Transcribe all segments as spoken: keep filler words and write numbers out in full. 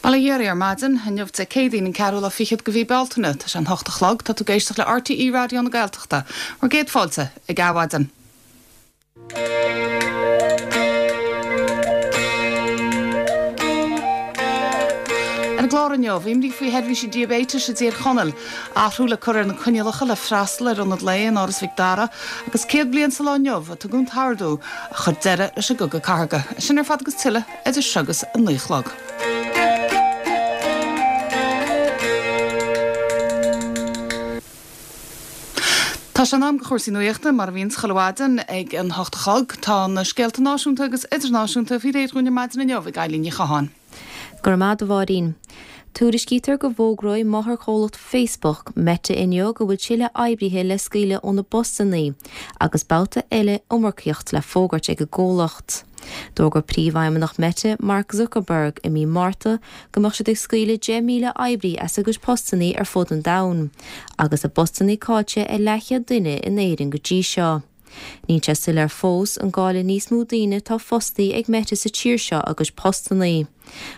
Bail ó Dhia oraibh ar maidin, inniu Dé Céadaoin an ceathrú lá fichead de mhí Bealtaine, tá sé an hocht a chlog, tá tú ag éisteacht le RTÉ Raidió na Gaeltachta, bhur gcéad fáilte ag Adhmhaidin. Ar an gclár inniu, imní faoi sheirbhísí diaibéitis i dTír Chonaill, athrú le cur ar na coinníollacha le freastal ar ionad lae in Áras Mhic Dara agus céad bliain sa lá inniu a tugadh an t-ordú a chuir deireadh leis an gCogadh Cathartha. Sin ar fad agus tuilleadh idir seo agus a naoi a chlog. Tá sé in am do chúrsaí nuachta, mar a bhíonns chuile mhaidin ag an hocht a chlog. Tá na scéalta náisiúnta agus idirnáisiúnta faoi réir dúinn ar maidin inniu ag Eilín Ní Chatháin. Go raibh maith agat a Mháirín. Tuairiscítear go bhfógróidh máthairchomhlacht Facebook, Meta inniu go bhfuil tuilleadh oibrithe le scaoileadh óna bpostanna agus babhta eile iomarcaíocht le fógairt ag an gcomhlacht. D'fhógair príomhfheidhmeannach Meta, Mark Zuckerberg, i mí Márta go mbeadh siad ag scaoileadh deich míle oibrí as a gcuid postanna ar fud an domhain, agus a bpostanna caillte ag leathchéad duine in Éirinn go dtí seo. Níl sé soiléir fós an gcaillfidh níos mó daoine atá fostaí ag Meta sa tír seo a gcuid postanna.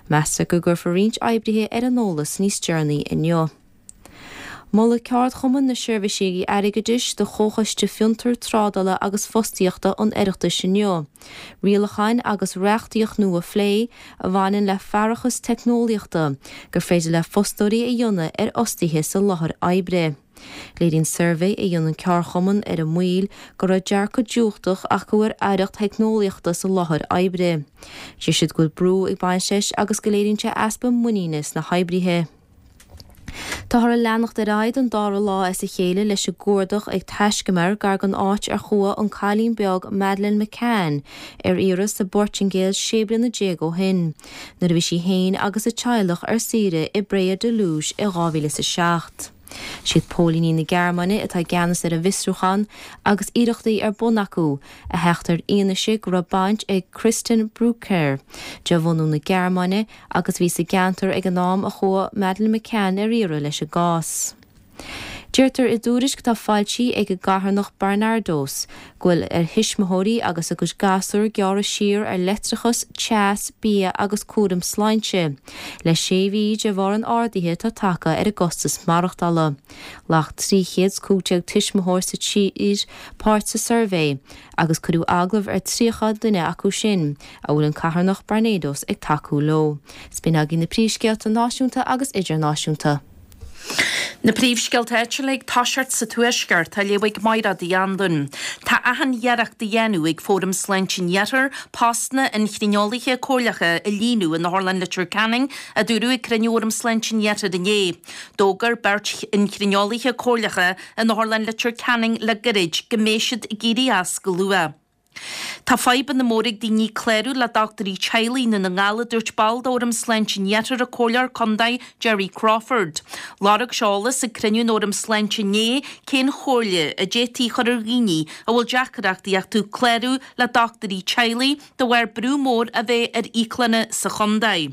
Meastar go gcuirfear roinnt oibrithe ar an eolas níos deireanaí inniu. Molfaidh Ceardchumann na Seirbhísí Airgeadais do Chomhchoiste Fiontar, Trádála agus Fostaíochta an Oireachtais inniu rialacháin agus reachtaíocht nua a phlé a bhaineann le faireachas teicneolaíochta gur féidir le fostóirí a dhéanamh ar fhostaithe sa láthair oibre. Léiríonn suirbhé a dhein an ceardchumann ar a mbaill go raibh dearcadh diúltach acu ar fhaireacht theicneolaíochta sa láthair oibre. Deir siad go bhfuil brú ag baint leis agus go léiríonn sé easpa muiníne sna hoibrithe. Táthar ag leanacht ar aghaidh don dara lá as a chéile leis an gcuardach ag taiscumar gar don áit ar chuaigh an cailín beag Madeleine McCann ar iarraidh sa bPortaingéil sé bliana déag ó shin, nuair a bhí sí féin agus a teaghlach ar saoire i bPraia da Luz i dhá mhíle is a seacht. Siad póilíní na Gearmáine atá i gceannas ar an bhfiosrúchán agus iarrachtaí ar bun acu a theacht ar fhianaise go raibh baint ag Christian Brueckner, de bhunadh na Gearmáine agus a bhí sa gceantar ag an am a chuaigh Madeleine McCann ar iarraidh leis an gcás. Deirtear i dtuairisc atá foilsithe ag an gcarthanacht Barnardos go bhfuil ar thuismitheoirí agus a gcuid gasúr gearradh siar ar leictreachas, teas, bia agus cúram sláinte le sé mhí de bharr an ardaithe atá tagtha ar a gcostas maireachtála. Ghlac trí chéad is cúig déag tuismitheoir sa tír páirt sa suirbhé agus cuireadh agallamh ar tríocha duine acu sin a bhfuil an carthanacht Barnardos ag tacú leo. 'S b'in agaibh na príomhscéalta náisiúnta agus idirnáisiúnta. Na príomhscéalta áitiúla ag toiseacht sa Tuaisceart á léamh ag Maighread Uí Anluain. Tá achan iarracht á dhéanamh ag Fóram Sláinte an Iarthair postanna inchrineolaithe comhairleacha a líonadh in Otharlann Leitir Ceanainn, a dúradh ag cruinniú Fhóram Sláinte an Iarthair inné. D'fhógair beirt inchrineolaithe comhairleacha in Otharlann Leitir Ceanainn le gairid go mbeidh siad ag éirí as go luath. Tá fadhbanna móra ag daoine clárú le dochtúirí teaghlaigh i nDún na nGall a dúirt ball d'Fhóram Sláinte an Iarthair an Comhairleoir Contae Gerry Crawford. Lorg sé eolas ag cruinniú an Fhóraim Sláinte inné cén chomhairle a d'fhéadfaí a chur ar dhaoine a bhfuil deacaireachtaí acu clárú le dochtúirí teaghlaigh de bharr brú mór a bheith ar íoclanna sa chontae.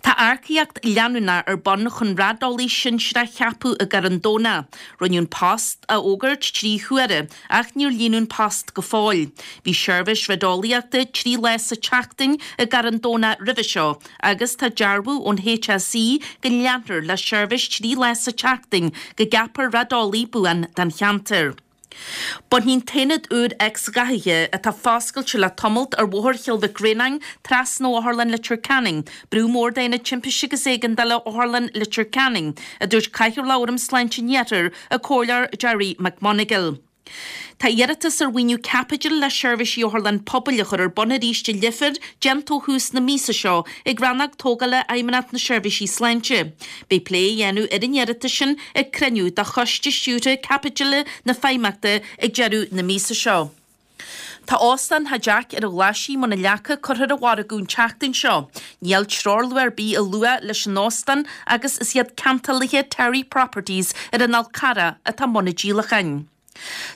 Tá earcaíocht leanúnach ar bun chun raideolaí sinsearach a cheapadh i gCarn Domhnach. Rinneadh an post a fhógairt trí huaire ach níor líonadh an post go fóill. Bhí seirbhís raideolaíochta trí lá sa tseachtain i gCarn Domhnach roimhe seo agus tá dearbhú ón HSE go leanfar le seirbhís trí lá sa tseachtain go gceapfar raideolaí buan don cheantar. Bainfidh an t-aonad úr X-ghathaithe atá foscailte le tamalt ar Bhóthar Chill Mhic Réanáin trasna ó Otharlann Leitir Ceanainn, brú mór d'Aonad Timpiste agus Éigeandála Otharlann Leitir Ceanainn, a dúirt Cathaoirleach Fhóram Sláinte an Iarthair, an Comhairleoir Gerry McMonagall. Tá iarratas ar mhaoiniú caipitil le seirbhísí otharlann pobail a chur ar bun arís i Leifear déanta ó thús na míosa seo ag Rannóg Tógála Fheidhmeannacht na Seirbhísí Sláinte. Beidh plé á dhéanamh ar an iarratas sin ag cruinniú de Choiste Stiúrtha Caipitil na Feidhmeannachta ag deireadh na míosa seo. Tá Óstán Theach Jeaic ar an Ghlaisigh i mBun an Leaca curtha ar an mhargadh an tseachtain seo. Níl treoirluach ar bith á lua leis an óstán agus is iad ceantálaithe Terry Properties ar an Fhál Carrach atá i mbun an díolacháin.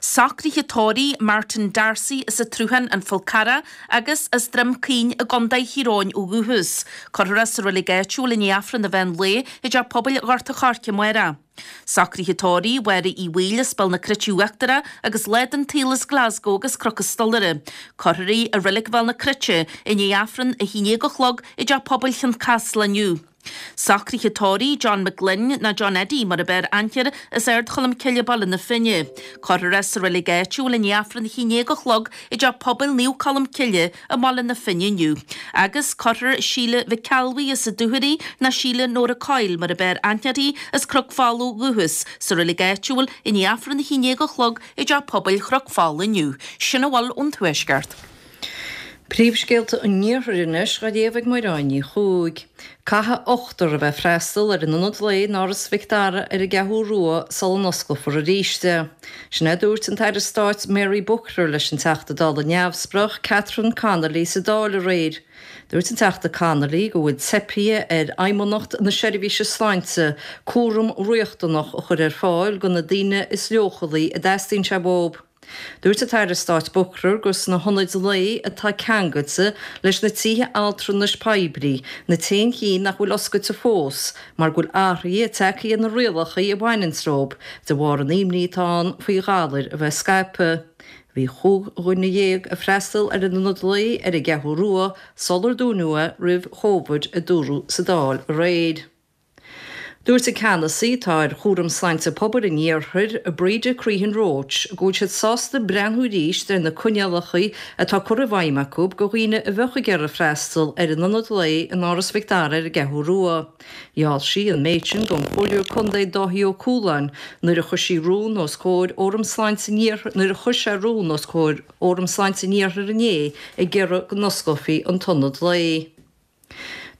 Socruithe tórraimh Martin D'Arcy as an tSruthán, An Fál Carrach, agus as Droim Caoin i gContae Thír Eoghain ó dhúchas. Cuirfear é sa reilig áitiúil i ndiaidh Aifreann an mheán lae i dTeach Pobail Ghort a' Choirce amárach. Socruithe tórraimh Mháire Uí Bhaoill as Béal na Cruite Uachtarach agus lá den tsaol as Glasgow agus Cnoc an Stolaire. Cuirfear í i Reilig Bhéal na Cruite i ndiaidh Aifreann a haon déag a chlog i dTeach Pobail Chionn Caslach inniu. Socruithe tórraimh John McGlynn nó John Eddie mar ab fhearr aithne air as Ard Cholm Cille Baile na Finne. Cuirfear é sa reilig áitiúil i ndiaidh Aifreann a haon déag a chlog i dTeach Pobail Naomh Colm Cille i mBaile na Finne inniu. Agus cuirfear Síle Mhic Ceallbhuí as an Dúchoraidh nó Síle Nóra Coyle mar ab fhearr aithne uirthi as Cnoc Folamh ó dhúchas sa reilig áitiúil i ndiaidh Aifreann a haon déag a chlog i dTeach Pobail Chnoc Folamh inniu. Sin a bhfuil ón Tuaisceart. Príomhscéalta an Iarthair anois á léamh ag Máire Ní Chuaig. Caithfidh ochtar a bheith ag freastal ar an ionad lae in Áras Mhic Dara ar an gCeathrú Rua sula n-osclófar arís é. Sin é a dúirt an tAire Stáit Mary Booker leis an Teachta Dála Neamhspleách Catherine Connolly sa Dáil aréir. Dúirt an Teachta Connolly go bhfuil teipthe ar Fheidhmeannacht na Seirbhíse Sláinte cúram riachtanach a chur ar fáil do na daoine is leochailí a dteastaíonn sé uathu. Dúirt an tAire Stáit Booker gur sna hionaid lae atá ceangailte leis na tithe altranais poiblí na t-aon chinn nach bhfuil oscailte fós mar go bhfuil athruithe tagtha ar na rialacha a bhaineann leo de bharr an imní atá ann faoi ghalair a bheith scaipthe. Bhí chúig dhuine dhéag ag freastal ar an ionad lae ar an gCeathrú Rua sular dúnadh é roimh Covid, a dúradh sa Dáil aréir. Dúirt an ceannasaí atá ar Chúram Sláinte Pobail an Iarthair, Breda Crehan Roche, go bhfuil siad sásta breathnú arís ar na coinníollacha atá curtha i bhfeidhm acu do dhaoine a bheadh ag iarraidh freastal ar an ionad lae in Áras Mhic Dara ar an gCeathrú Rua. Gheall sí an méid sin don Chomhairleoir Contae Dáithí Ó Cualáin nuair a chuir sí rún os comhair Fhóram Sláinte an Iarthair nuair a chuir sé rún os comhair Fhóram Sláinte an Iarthair inné ag iarraidh go n-osclófaí an t-ionad lae.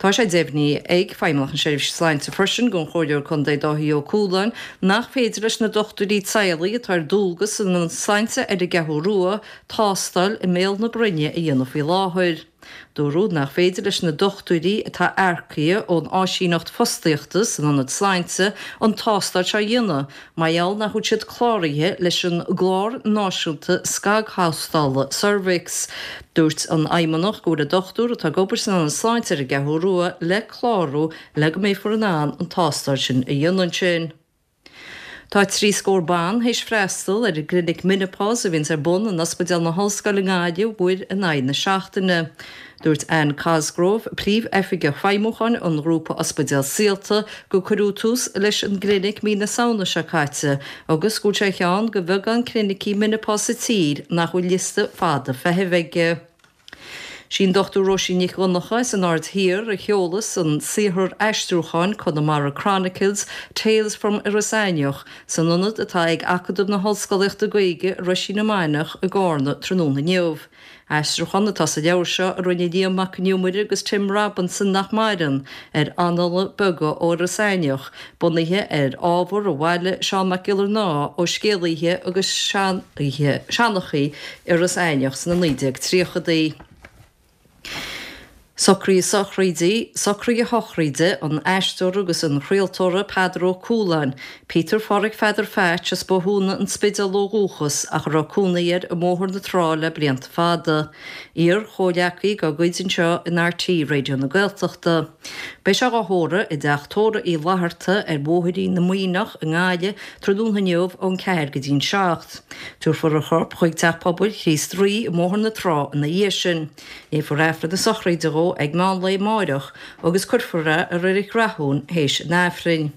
Tá sé deimhnithe ag Feidhmeannacht na Seirbhíse Sláinte freisin don Chomhairleoir Contae Dáithí Ó Cualáin nach féidir leis na dochtúirí teaghlaigh atá ar dualgas san Ionad Sláinte ar an gCeathrú Rua tástáil i mbéal na broinne a dhéanamh faoi láthair. Dúradh nach féidir leis na dochtúirí atá earcaithe ón áisíneacht fostaíochta san Ionad Sláinte an tástáil seo a dhéanamh mar gheall nach bhfuil siad cláraithe leis an gClár Náisiúnta Scagthástála Cervix. Dúirt an Fheidhmeannach go bhfuil an dochtúir atá ag obair san Ionad Sláinte ar an gCeathrú Rua le clárú le go mbeifear in ann an tástáil sin a dhéanamh ansin. Tá trí scór ban théis freastal ar an gclinic Menopause a bhíonns ar bun in Ospidéal na hOllscoile i nGaillimh uair in aghaidh na seachtaine. Dúirt Anne Cosgrove, Príomh-Oifigeach Feidhmiúcháin an Ghrúpa Ospidéal Saolta, gur cuireadh tús leis an gclinic mí na Samhna seo caite agus go bhfuil sé ar cheann de bheagán clinicí Menopause sa tír nach bhfuil liosta fada feithimh aige. Sí an Dochtúir Róisín Nic Dhonncha as an Aird Thiar a sheolas an saothar aistriúcháin Connemara Chronicles, Tales from Iorras Aithneach san ionad atá ag Acadamh na hOllscolaíochta Gaeilge i Roisín na Mainiach i gCarna tráthnóna inniu. Aistriúchán atá sa leabhar seo a rinne Liam Mac Con Iomaire agus Tim Robinson, nach maireann, ar annála beaga ó Iorras Aithneach, bunaithe ar ábhar a bhailigh Seán Mac Giollarnáth ó scéalaithe agus seanchaithe Iorras Aithneach sna naoi déag tríochadaí. Socruithe sochraide, Socruithe sochraide an aisteora agus an chraoltóra Peadar Ó Cualáin, Peter Pháraic Pheadair Pheaits as Bothúna, An Spidéal ó dhúchas ach a raibh cónaí air i mBóthar na Trá le blianta fada. Iar-chomhghleacaí dá gcuid anseo in RTÉ Raidió na Gaeltachta. Beidh sé dhá thórramh i dTeach Tórraimh Uí Fhlatharta ar Bhóithrín na Muimhneach i nGaillimh tráthnóna inniu ón ceathair go dtí'n seacht. Tabharfar a chorp chuig Teach Pobail Chríost Rí i mBóthar na Trá ina dhiaidh sin. Léifear Aifreann na sochraide dhó ag meán lae amáireach agus cuirfear é i Reilig Rathún théis an Aifrinn.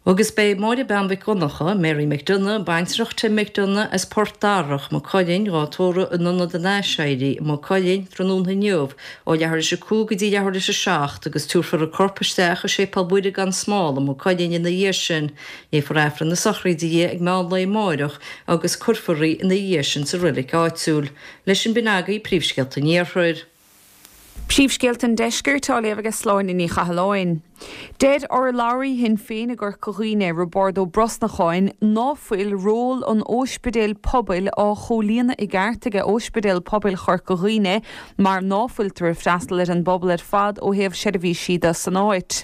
Agus beidh Máire Bean Mhic Dhonncha, Mary McDonagh, baintreach Tim McDonagh as Port Darach, Maigh Cuilinn, dhá tórramh in Ionad an Aiséirí i Maigh Cuilinn tráthnóna inniu ó leathuair théis a cúig go dtí leathuair théis a seacht agus tabharfar a corp isteach i Séipéal Mhuire gan Smál i Maigh Cuilinn ina dhiaidh sin. Léifear Aifreann na sochraide di ag meán lae amáireach agus cuirfear í ina dhiaidh sin sa reilig áitiúil. Leis sin b'in agaibh príomhscéalta an Iarthair. Príomhscéalta an Deiscirt á léamh ag Sláine Ní Chathalláin. Deir urlabhraí Shinn Féin i gCorca Dhuibhne, Roibeárd Ó Brosnacháin, ná fuil ról an óispidéil pobail á chomhlíonadh i gceart aige Óispidéal Pobail Chorca Dhuibhne mar ná fuiltear ag freastal ar an bpobal ar fad ó thaobh seirbhísí de san áit.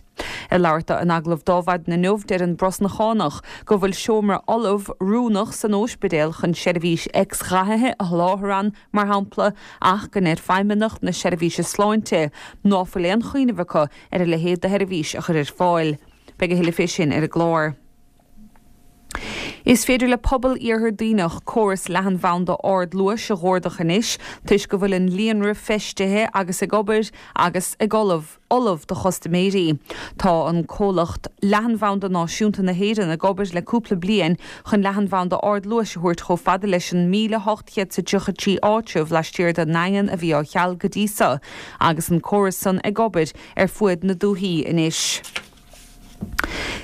Ag labhairt dó in agallamh d'Adhmhaidin inniu deir an Brosnachánach go bhfuil seomra ullamh oiriúnach san óispidéal chun seirbhís X-ghathaithe a sholáthar ann, mar shampla, ach go ndeir Feidhmeannacht na Seirbhíse Sláinte ná fuil aon chuimhneamh acu ar a leithéid de sheirbhís a chur ar fáil. Beidh a thuilleadh fé sin ar an gclár. Is féidir le pobal Iarthar Duibhneach córas leathanbhanda ardluais a chuardach anois, toisc go bhfuil an líonra feistithe agus ag obair agus ag ullamh ullamh do chustaiméirí. Tá an comhlacht Leathanbhanda Náisiúnta na hÉireann ag obair le cúpla bliain chun leathanbhanda ardluais a thabhairt chomh fada leis an míle hocht chéad is tríocha trí áitreabh laistiar den nDaingean a bhí á cheal go dtí seo, agus an córas san ag obair ar fuaid na dúthaí anois.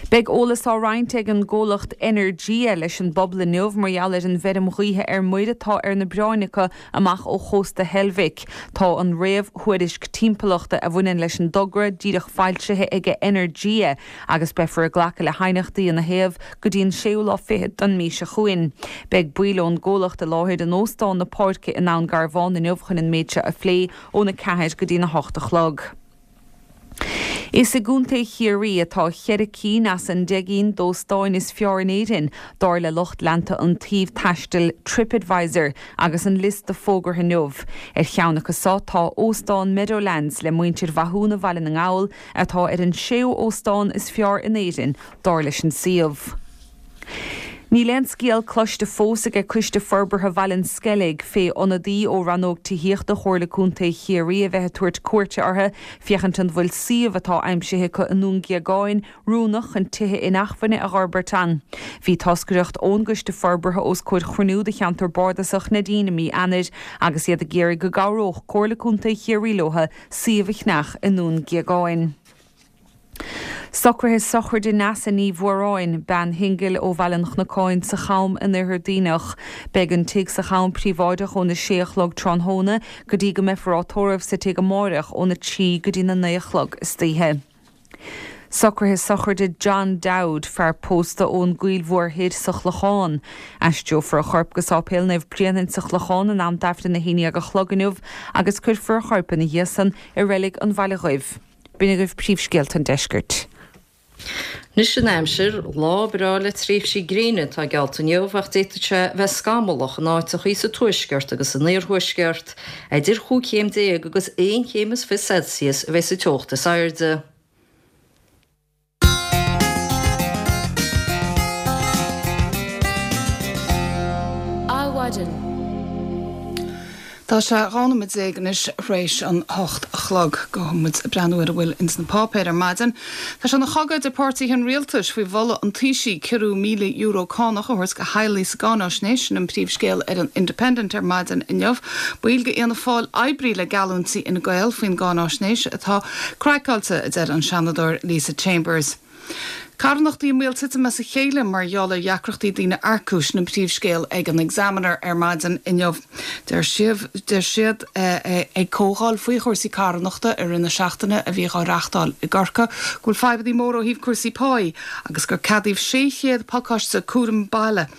Beidh eolas á roinnt ag an gcomhlacht Energia leis an bpobal inniu mar gheall ar an bhfeirm ghaoithe ar muir atá ar na bioráin acu amach ó chósta Heilbhic. Tá an réamhthuairisc timpeallachta a bhaineann leis an dtogra díreach foilsithe ag Energia agus beifear ag glacadh le haighneachtaí ina thaobh go dtí an séú lá fichead den mhí seo chugainn. Beidh baill ón gcomhlacht i láthair in Óstán na Páirce i nDún Garbhán inniu chun an méid seo a phlé óna ceathair go dtína hocht a chlog. Is i gContae Chiarraí atá ceithre cinn as an deich gcinn d'óstáin is fearr in Éirinn, dar le lucht leanta an tsuímh taistil TripAdvisor agus an liosta fógartha inniu. Ar cheann acu seo tá Óstán Meadowlands le muintir Mhathúna Bhaile na nGall atá ar an séú óstán is fearr in Éirinn, dar leis an suíomh. Níl aon scéal cloiste fós ag Coiste Forbartha Bhaile an Sceilg fé ionadaí ó rannóg tithíochta Chomhairle Contae Chiarraí a bheith ag tabhairt cuairte orthu féachaint an bhfuil suíomh atá aimsithe acu i nDún Géagáin oiriúnach chun tithe inacmhainne a fhorbairt ann. Bhí toscaireacht ón gCoiste Forbartha os comhair chruinniú de cheantar bardasach Neidín i mí Eanáir agus iad ag iarraidh go gcabhródh Comhairle Contae Chiarraí leo suíomh a cheannach i nDún Géagáin. Socruithe sochraide Neasa Ní Mhóráin, bean shingil ó Bhaile an Chnocáin sa Cham in Oirthear Duibhneach. Beidh an tigh sa Cham príobháideach óna sé a chlog tráthnóna go dtí go mbeifear á tórramh sa tigh amárach óna trí go dtí na naoi a chlog istoíche. Socruithe sochraide John Dowd, fear pósta ón gCoill Mhór Thoir sa Chlochán. Aistreofar a chorp go Sáipéal Naomh Bréanainn sa Chlochán in am d'Aifreann a haon déag a chlog inniu agus cuirfear a chorp ina dhiaidh san i reilig an Bhaile Dhuibh. B'in agaibh príomhscéalta an deiscirt. Anois an aimsir, lá breá le tréimhsí gréine atá geallta inniu ach d'fhéadfadh sé bheith scamallach in áiteachaí sa tuaisceart agus san iarthuaisceart. Idir chúig chéim déag agus aon chéim is fiche Celsius a bheidh sa teocht is airde. Adhmhaidin. Tá sé dhá nóiméad déag anois tar éis an hocht a chlog. Gabhfaidh muid ag breathnú ar a bhfuil ins na páipéir ar maidin. Tá sé ina chogadh idir páirtithe an rialtais faoi mholadh an Taoisigh ciorrú míle euro cánach a thabhairt go theaghlaigh sa gcáinaisnéis sin an príomhscéal ar an Independent ar maidin inniu. Baill d'Fhianna Fáil oibrithe le geallúintí Fhine Gael faoin gcáinaisnéis atá craiceáilte, a deir an Seanadóir Lisa Chambers. Carthanachtaí i mbaol titim as a chéile mar gheall ar dheacrachtaí daoine a earcú, sin an príomhscéal ag an Examiner ar maidin inniu. Deir sibh, deir siad ag comhdháil faoi chúrsaí carthanachta i rith na seachtaine a bhí á reáchtáil i gCorcaigh go bhfuil fadhbanna móra ó thaobh cúrsaí páí agus gur ceadaíodh sé chéad pacáiste cúram baile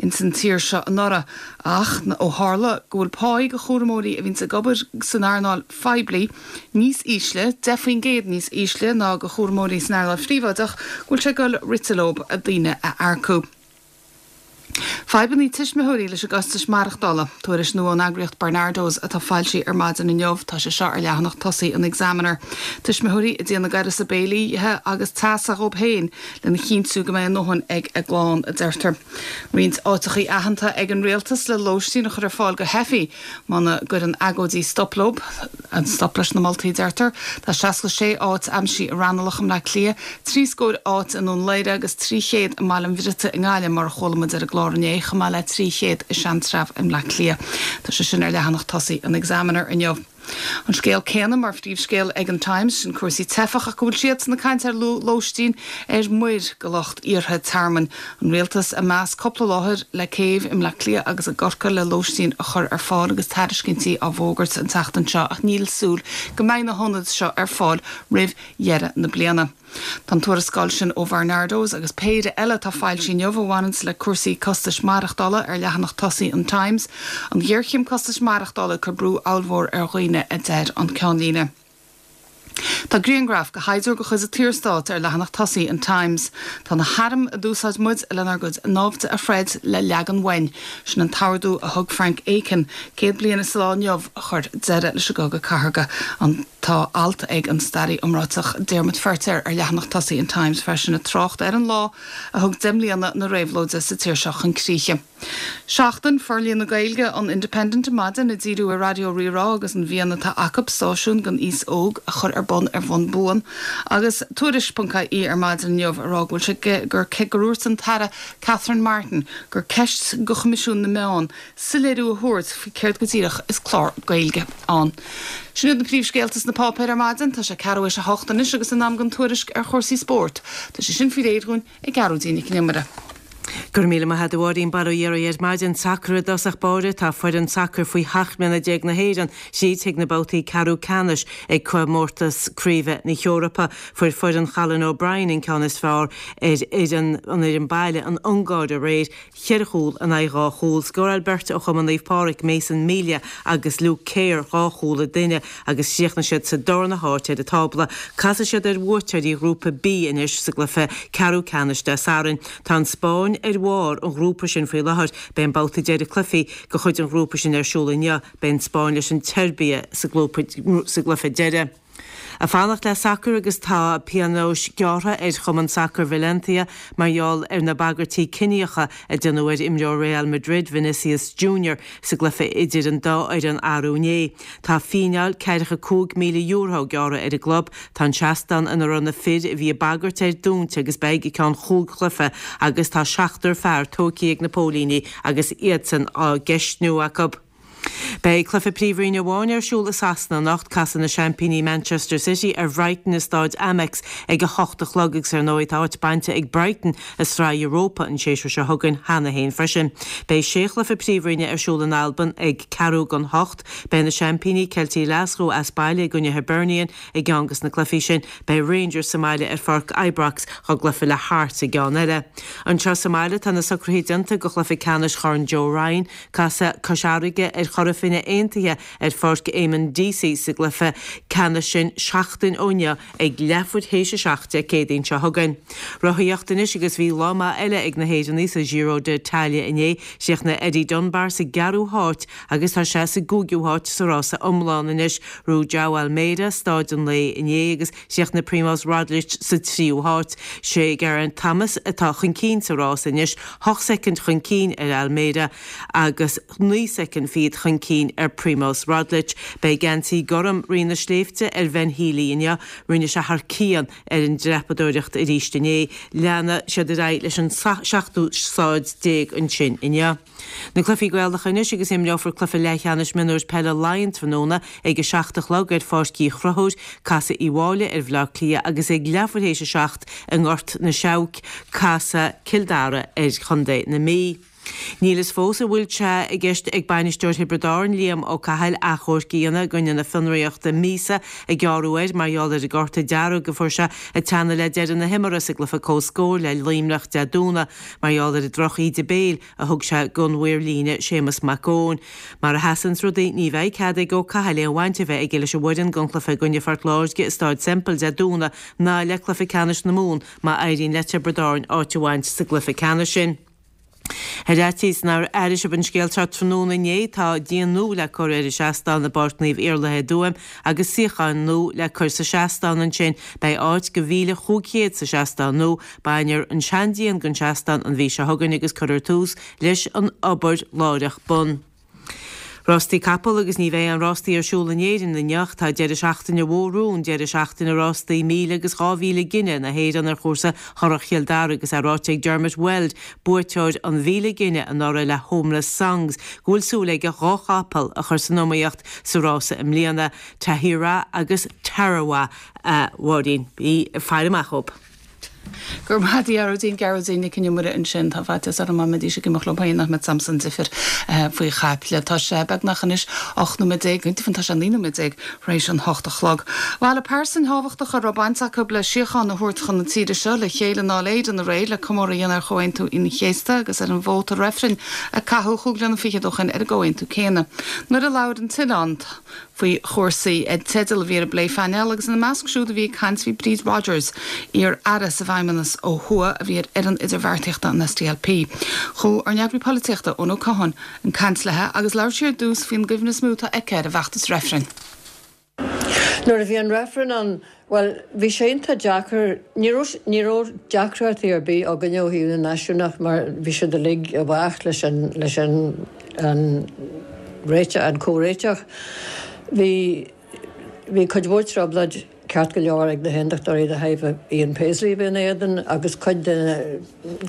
ins an tír seo anuraidh ach ó tharla go bhfuil páí do chúramóirí a bhíonns ag obair san earnáil phoiblí níos ísle, deich faoin gcéad níos ísle ná do chúramóirí san earnáil phríobháideach, go bhfuil sé ag dul rite leo daoine a earcú. Fadhbanna tuismitheoirí leis an gcostais maireachtála. Tuairisc nua ón eagraíocht Barnardos atá foilsithe ar maidin inniu. Tá sé seo ar leathanach tosaigh an Examiner. Tuismitheoirí ag déanamh a gcúrsa béilí agus teasa dhóibh féin lena chinntiú go mbeidh a ndóthain ag a gclann, a deirtear. Roinnt áiteachaí aitheanta ag an rialtas le lóistín a chur ar fáil do theifigh muna gcuireann agóidí stop leo, stop leis na moltaí, a deirtear. Tá seasca sé áit aimsithe i Raghnallach i mBleá Cliath, trí scór áit i nDún Laoghaire agus trí chéad i mBaile an Bhriotaigh i nGaillimh, mar a chuala muid ar an gclár inné, chomh maith le trí chéad i Seantrabh i mBleá Cliath. Tá sé sin ar leathanach tosaigh an Examiner inniu. An scéal céanna mar phríomhscéal ag an Times, sin cúrsaí teifeach ach go bhfuil siadsan ag caint ar lóistín ar muir do lucht iarrtha tearmainn. An rialtas ag meas cúpla láthair le céibh i mBleá Cliath agus i gCorcaigh le lóistín a chur ar fáil agus tairiscintí á bhfógairt an tseachtain seo ach níl súil go mbeidh na hionaid seo ar fáil roimh dheireadh na bliana. Tá an tuarascáil sin ó Bharnardos agus péire eile atá foilsithe inniu a bhaineanns le cúrsaí costais maireachtála ar leathanach tosaigh an Times, an ghéarchéim costais maireachtála ag cur brú ollmhór ar dhaoine, a deir an ceannlíne. Tá grianghraf de shaighdiúir de chuid an tSaorstáit ar leathanach tosaigh an Times. Tá na hairm a d'úsáid muid lenár gcuid naimhde a throid le leagan uainn, sin an t-ordú a thug Frank Aiken, céad bliain is lá inniu a chuir deireadh leis an gcogadh cathartha an tá alt ag an staraí iomráiteach Diarmaid Feirtéar ar leathanach tosaigh an Times freisin ag trácht ar an lá a thug deich mbliana na réabhlóide sa tír seo chun críche. Seachtain Forlíonadh Gaeilge an Independent maidin ag díriú ar Raidió Rí-Rá agus an mhian atá acu stáisiún don aos óg a chur ar bun ar bhonn buan agus Tuairisc.ie ar maidin inniu ag rá go bhfuil sé gur gur dhúirt an tAire Catherine Martin gur ceist do Choimisiún na Meán soiléiriú a thabhairt faoi céard go díreach is clár Gaeilge ann. Sin iad na príomhscéalta sna páipéir ar maidin, tá sé ceathrú théis a hocht anois agus in am don tuairisc ar chúrsaí spóirt. Tá sé sin faoi réir dúinn ag Gearóidín Nic an Iomaire. Gur míle maith agat a Mháirín bail ó Dhia oraibh ar maidin sacar i dtosach báire tá foireann sacair faoi sheacht mbliana déag na hÉireann tríd chuig na babhtaí ceathrú ceannais ag comórtas craoibhe na hEorpa. Fuair foireann Colin O'Brien an ceann is fearr ar fhoireann an fhoireann baile an Ungáir aréir cheithre chúl in aghaidh dhá chúl. Scóráil beirt ó Chumann Naomh Pádraig Mason Melia agus Luke Kerr dhá chúl an duine agus chríochnaigh siad sa darna háit ar an tábla. Casfaidh siad ar bhuaiteoirí ghrúpa B anois sa gcluiche ceathrú ceannais Dé Sathairn. Tá an Spáinn ar bharr an ghrúpa sin faoi láthair, beidh an babhta deiridh cluichí de chuid an ghrúpa sin ar siúl inniu, beidh an Spáinn leis an tSeirbia sa gcluiche deiridh. Ag fanacht le sacar agus tá pionós gearrtha ar Chumann Sacair Valencia mar gheall ar na bagairtí ciníocha a déanadh ar imreoir Real Madrid Vinicius Junior sa gcluiche idir an dá fhoireann arú inné. Tá fíneáil ceathracha cúig míle euro gearrtha ar an gclub, tá an seastán ina raibh na fir a bhí ag bagairt air dúnta agus beidh go ceann chúig chluiche agus tá seachtar fear tógtha ag na póilíní agus iadsan á gceistniú acu. Beidh cluiche Príomhroinne amháin ar siúl i Sasana anocht casfaidh na seaimpíní Manchester City ar Bhrighton i Staid Amex ag a hocht a chlog agus ar ndóigh tá áit bainte ag Brighton i Sraith Europa an séasúr seo chugainn cheana féin freisin. Beidh sé chluiche Príomhroinne ar siúl in Albain ag ceathrú don hocht, beidh na seaimpíní Ceiltigh Ghlaschú as baile i gcoinne Hibernian i gceann de na cluichí sin, beidh Rangers sa mbaile ar pháirc Ibrox dá gcluiche le Hearts i gceann eile. Anseo sa mbaile tá na socruithe déanta do chluiche ceannais Chorn Joe Ryan, casfaidh Cois Fharraige ar Chora Finne Aontaithe ar pháirc Eamon Deacy sa gcluiche ceannais sin seachtain ó inniu ag leathuair théis a seacht Dé Céadaoin seo chugainn. Rothaíocht anois agus bhí lá maith eile ag na hÉireannaigh sa Giro d'Italia inné, chríochnaigh Eddie Dunbar sa gceathrú háit agus tá sé sa gcúigiú háit sa rása iomlán anois. Ghnóthaigh João Almeida staid an lae inné agus chríochnaigh Primož Roglič sa tríú háit. Sé Geraint Thomas atá chun cinn sa rás anois, hocht soicind chun cinn ar Almeida agus naoi soicind fichead chun cinn ar Primož Roglič. Beidh geansaí gorm Rí na Sléibhte ar Ben Healy inniu, rinne sé thar cionn ar an dreapadóireacht arís inné. Leanfaidh siad ar aghaidh leis an seachtú staid déag ansin inniu. Na cluichí Gaelacha anois agus imreofar cluiche leathcheannais mionúir peile Laighean tráthnóna ag a seacht a chlog ar Pháirc Uí Chonchúir, casfaidh Uíbh Fhailí ar Bhaile Átha Cliath agus ag leathuair théis a seacht i nGort na Seabhac, casfaidh Cill Dara ar Chontae na Mí. Níl fhios fós an bhfuil sé i gceist ag bainisteoir Thiobraid Árann, Liam Ó Cathail, achomharc a dhéanamh i gcoinne na fionraíochta míosa a gearradh air mar gheall ar an gcárta dearg a fuair sé ag teannadh le deireadh na himeartha sa gcluiche comhscóir le Luimneach Dé Domhnaigh mar gheall ar an droch-íde béil a thug sé don mhaor líne Séamus Mac Eoin. Mar a sheasanns rudaí, ní bheidh cead ag Ó Cathail aon bhaint a bheith aige leis an bhfoireann don chluiche i gcoinne Phort Láirge i Stáid Semple Dé Domhnaigh ná le cluiche ceannais na Mumhan má éiríonn le Tiobraid Árann áit a bhaint sa gcluiche ceannais sin. Ar fhaitíos nár airigh sibh an scéal seo tráthnóna inné, tá díon nua le cur ar an seastán i bPáirc Naomh Iarlaithe i dTuaim agus suíocháin nua le cur sa seastán ansin. Beidh áit do mhíle chúig chéad sa seastán nua. Bainfear an seandíon den seastán an mhí seo chugainn agus cuirfear tús leis an obair láithreach bonn. Rástaí capall agus ní bheidh aon rástaí ar siúl in Éirinn inniu. Tá deireadh seachtaine mhór romhainn, deireadh seachtaine rástaí míle agus dhá mhíle gine na hÉireann ar chúrsa Churrach Chill Dara agus é ráite ag Dermot Weld, buaiteoir an mhíle gine anuraidh le Homeless Songs, go bhfuil súil aige dhá chapall a chur san iomaíocht sa rása i mbliana, Tahiyra agus Tarawa, a Mháirín. Bí ag faire amach dhóibh. Go raibh maith agat a Ghearóidín, Gearóidín Nic Con Iomaire ansin, tá faitíos orm dá mbeidís ag imeacht leo féin nach mbeadh samsa an difir faoi chaiple. Tá sé beagnach anois ocht nóiméad déag, go deimhin tá sé naoi nóiméad déag tar éis an hocht a chlog. Bhailigh pearsain thábhachtacha a raibh baint acu le síocháin a thabhairt chun na tíre seo le chéile i nDáil Éireann aréir le comóradh a dhéanamh ar Chomhaontú Aoine an Chéasta agus ar an vóta reifrinn a caitheadh cúig bliana fichead ó shin ar an gcomhaontú céanna. Nuair a labhair an tOileán faoi chúrsaí an teideal a bhí ar an bplé-phainéal agus ina measc siúd a bhí ag caint bhí Bríd Rodgers, iar-aire sa bhFeidhmeannas ó thuaidh a bhí ar fhoireann idirbheartaíochta an SDLP. Chuaigh ár n-eagraí polaitíochta, Eoin Ó Catháin, ag caint léi agus labhair sí ar dtús faoin gcuimhne is mó atá aici ar an bhfeachtas reifrinn. Nuair a bhí an reifreann ann, bhuel, bhí sé iontach deacair, ní raibh, ní raibh deacrachtaí ar bith againne ó thaobh na náisiúnach mar bhí siad uilig i bhfách leis an, leis an, an réiteach, an comhréiteach. Bhí, bhí cuid mhór trioblóid ceart go leor ag na hAondachtóirí de thairbhe Ian Paisley a bheith ina éadan agus cuid de na,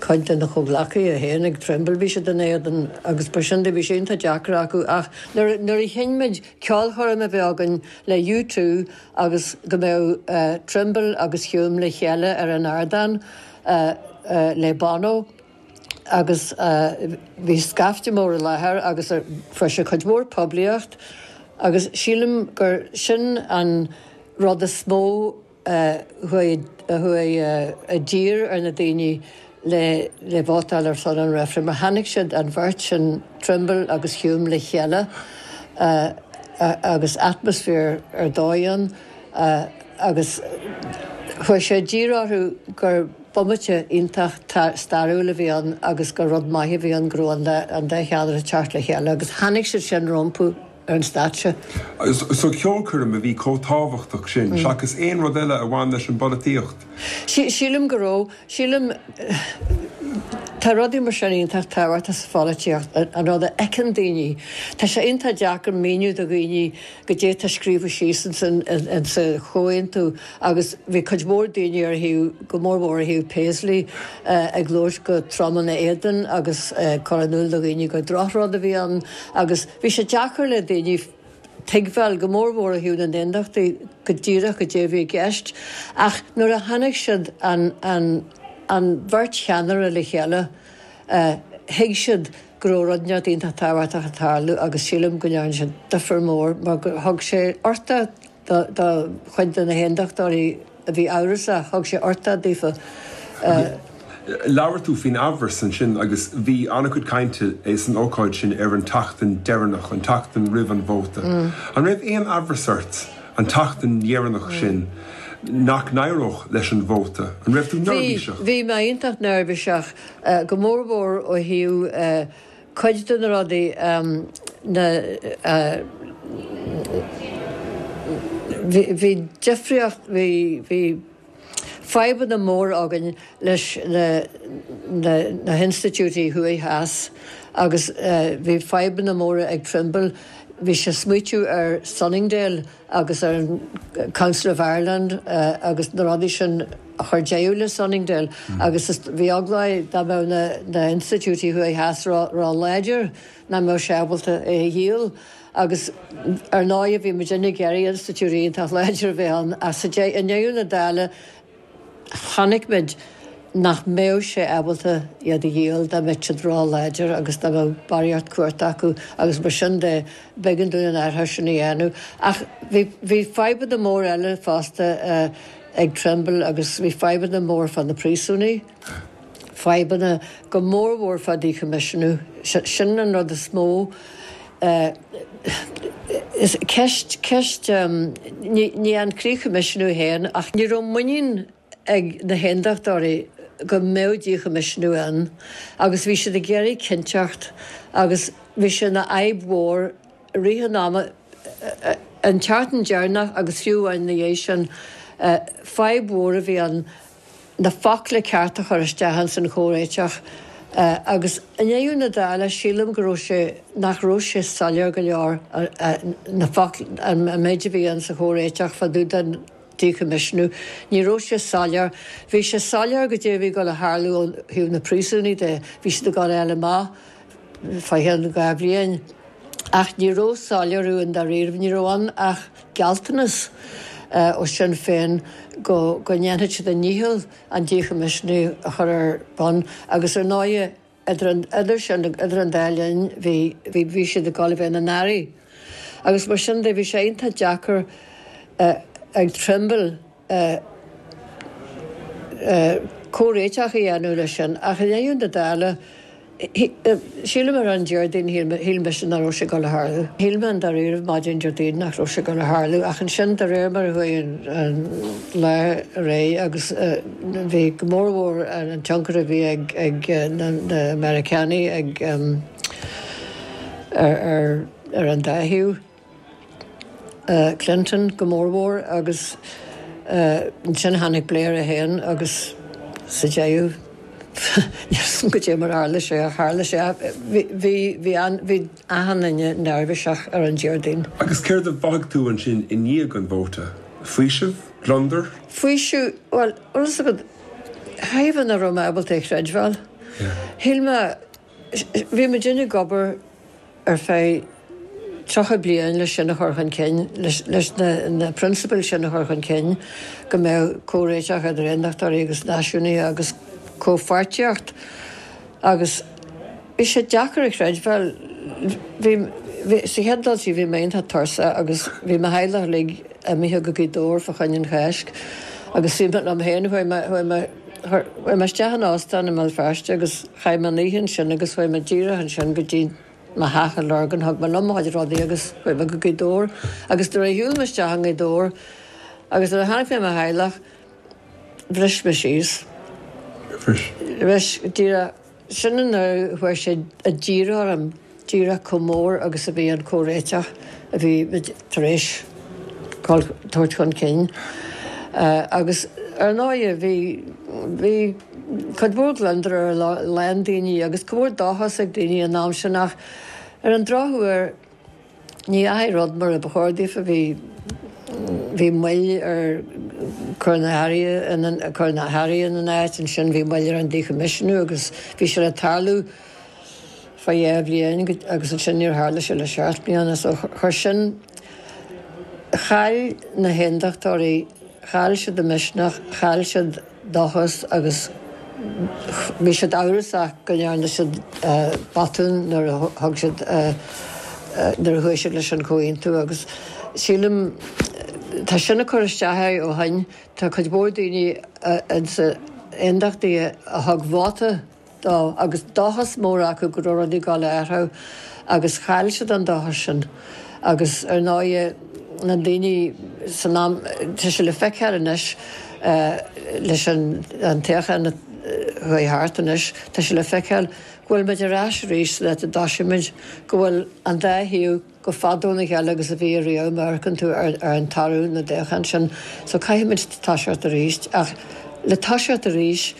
cuid de na comhghleacaithe féin ag Trimble bhí siad ina éadan agus mar sin de bhí sé iontach deacair acu ach nuair, nuair a chinn muid ceolchoirm a bheith againn le U two agus go mbeadh Trimble agus Hume le chéile ar an ardán le Bono agus bhí scaifte mór i láthair agus fuair sé cuid mhór poiblíocht agus sílim gur sin an rud is mó a chuaigh a chuaigh i dtír ar na daoine le le vótáil ar son an reifrinn mar chonaic siad an bheirt sin, Trimble agus Hume le chéile agus atmaisféar ar dóigh ann agus chuaigh sé i dtír orthu gur bomaite iontach stairiúil a bhí ann agus gur rud maith a bhí ann go raibh an dá cheannaire ag teacht le chéile agus chonaic siad sin rompu ar an stáitse. So ceolchoirm a bhí chomh tábhachtach sin, seachas aon rud eile a bhain leis an bpolaitíocht? Sílim go raibh. Sílim, tá rudaí mar sin iontach tábhachtach sa pholaitíocht, an rud a fheiceann daoine. Tá sé iontach deacair míniú do dhaoine goidé atá scríofa síos insa chomhaontú agus bhí cuid mhór daoine ar thaobh, go mór mhór ar thaobh Paisley, ag labhairt go trom ina éadan agus ag cur in iúl do dhaoine gur drochrud a bhí ann agus bhí sé deacair le daoine tuigbheáil, go mór mhór ó thaobh na n-aondachtaí, go díreach goidé a bhí i gceist. Ach nuair a chonaic siad an, an, an bheirt cheannaire le chéile, thuig siad go raibh rud inteacht iontach tábhachtach ag tarlú agus sílim go ndearna sé difear mór mar gur thug sé uchtach do, do chuid de na haondachtóirí a bhí amhrasach, thug sé uchtach daofa. Labhair tú faoin amhras ansin agus bhí an-chuid cainte san ócáid sin ar an tseachtain deireanach, an tseachtain roimh an vóta. An raibh aon amhras ort an tseachtain dheireanach sin nach n-éireodh leis an vóta? An raibh tú Bhí, neirbhíseach? bhí mé iontach neirbhíseach, go mór mhór ó thaobh cuid de na rudaí, na, bhí, bhí difríocht, bhí, bhí fadhbanna móra againn leis na, na, na hinstitiúidí thuaidh theas agus bhí fadhbanna móra ag Trimble, bhí sé ag smaoitiú ar Sunningdale agus ar an Council of Ireland agus na rudaí sin a chuir deireadh le Sunningdale agus bhí eagla air dá mbeadh na, na hinstitiúidí thuaidh theas ró, ró láidir nach mbeadh sé ábalta é a dhíol agus ar ndóigh bhí muidinne ag iarraidh institiúidí iontach láidir a bheith ann ach sa i ndeireadh na dála chonaic muid nach mbeadh sé ábalta iad a dhíol dá mbeadh siad ró-láidir agus dá mbeadh barraíocht cumhachta acu agus mar sin de b'éigean dúinn an athrú sin a dhéanamh. Ach bhí bhí fadhbanna móra eile fosta ag Trimble agus bhí fadhbanna mór fá na príosúnaigh, fadhbanna go mór mhór fá díchoimisiúnú. Sin an rud is mó. Is ceist, ceist, ní ní an díchoimisiúnú féin ach ní raibh muinín ag na hAondachtóirí go mbeadh díchoimisiúnú ann agus bhí siad ag iarraidh cinnteacht agus bhí sé ina fhadhb mhór i rith an ama, an tseachtain deireanach agus fiú amháin ina dhiaidh sin, fadhb mhór a bhí ann na focla cearta a chur isteach ins an chomhréiteach agus i ndeireadh na dála sílim go raibh sé, nach raibh sé soiléir go leor na focla, an méid a bhí ann sa chomhréiteach fá dtaobh den. díchoimisiúnú. Ní raibh sé soiléir. Bhí sé soiléir goidé a bhí ag dul a tharlú ó thaobh na príosúnaigh de, bhí siad ag dul a fháil amach fá cheann dhá bhliain. Ach ní raibh soiléiriú i ndáiríribh, ní raibh ann ach gealltanas. ó Sinn Féin go go ndéanfadh siad a ndícheall an díchoimisiúnú a chur ar bun agus ar ndóigh idir an idir sin idir an dá linn bhí bhí bhí siad ag dul a bheith ina n-airí. Agus mar sin de bhí sé iontach deacair ag Trimble comhréiteach a dhéanamh leis sin ach i ndeireadh na dála sílim ar an Déardaoin shíl mise nach raibh sé ag dul a tharlú. Shíl mé i ndáiríre maidin Déardaoin nach raibh sé ag dul a tharlú ach ansin de réir mar a chuaigh an lá ar aghaidh agus bhí go mórmhór an tionchar a bhí ag ag na Meiriceánaigh ag ar ar an dá thaobh. Clinton go mórmhór agus ansin tháinig Blair é féin agus sa deireadh níl a fhios agam goidé mar a tharla sé ach tharla sé. Bhí bhí bhí achan duine neirbhíseach ar an Déardaoin. Agus céard a mhothaigh tú ansin i ndiaidh an vóta? Faoiseamh? Gliondar? Faoiseamh, bhuel, bhfuil a fhios agat, thaobh nach raibh mé ábalta é a chreidbheáil. Shíl mé, bhí muidinne ag obair ar feadh tríocha bliain leis sin a chur chun cinn, leis na prionsabail sin a chur chun cinn, go mbeadh comhréiteach idir aondachtóirí agus náisiúnaithe agus comhpháirtíocht agus bhí sé deacair a chreidbheáil. Bhí, bhí, sa chéad dul síos bhí mé iontach tuirseach agus bhí mo theaghlach uilig imithe go Gaoth Dobhair fá choinne an Cháisc agus bhí mé liom féin, chuaigh mé, chuaigh mé, chuaigh mé isteach in óstán i mBéal Feirste agus chaith mé an oíche ansin agus chuaigh mé díreach ansin go dtí mo theach i Lurgan, thug mé liom mo chuid rudaí agus chuaigh mé go Gaoth Dobhair agus nuair a shiúil mé isteach i nGaoth Dobhair agus nuair a chonaic mé mo theaghlach, bhris mé síos. Bhris? Bhris, díreach. Sin an uair a chuaigh sé i dtír orm, díreach chomh mór agus a bhí an comhréiteach a bhí muid tar éis tabhairt chun cinn. Agus ar ndóighe bhí, bhí cuid mhór gliondar ar a lán daoine agus cuid mhór dóchas ag daoine an am sin ach ar an drochuair ní dheachaigh rud mar a ba chóir daofa, bhí, bhí moill ar cur na hairí ina, cur na hairí ina n-áit, ansin bhí moill ar an díchoimisiúnú agus bhí sé le tarlú fá dhá bhliain agus ansin níor tharla sé le seacht mbliana so chuir sin, chaill na haondachtóirí, chaill siad a misneach, chaill siad dóchas agus bhí siad amhrasach go ndearna siad botún nuair a thug siad, nuair a chuaigh siad leis an chomhaontú agus sílim, tá sin ag cur isteach air ó shin, tá cuid mhór daoine insa aondachtaithe a thug vóta dó agus dóchas mór acu go raibh rudaí ag dul a athrú agus chaill siad an dóchas sin agus ar ndóighe na daoine san am, tá sé le feiceáil anois leis an toghchán a chuaigh thart anois, tá sé le feiceáil go bhfuil muid ar ais arís san áit a dtosaigh muid, go bhfuil an dá thaobh chomh fada óna chéile agus a bhí ariamh má amharcann tú ar an toradh na dtoghchán sin. So caithfidh muid toiseacht arís ach le toiseacht arís,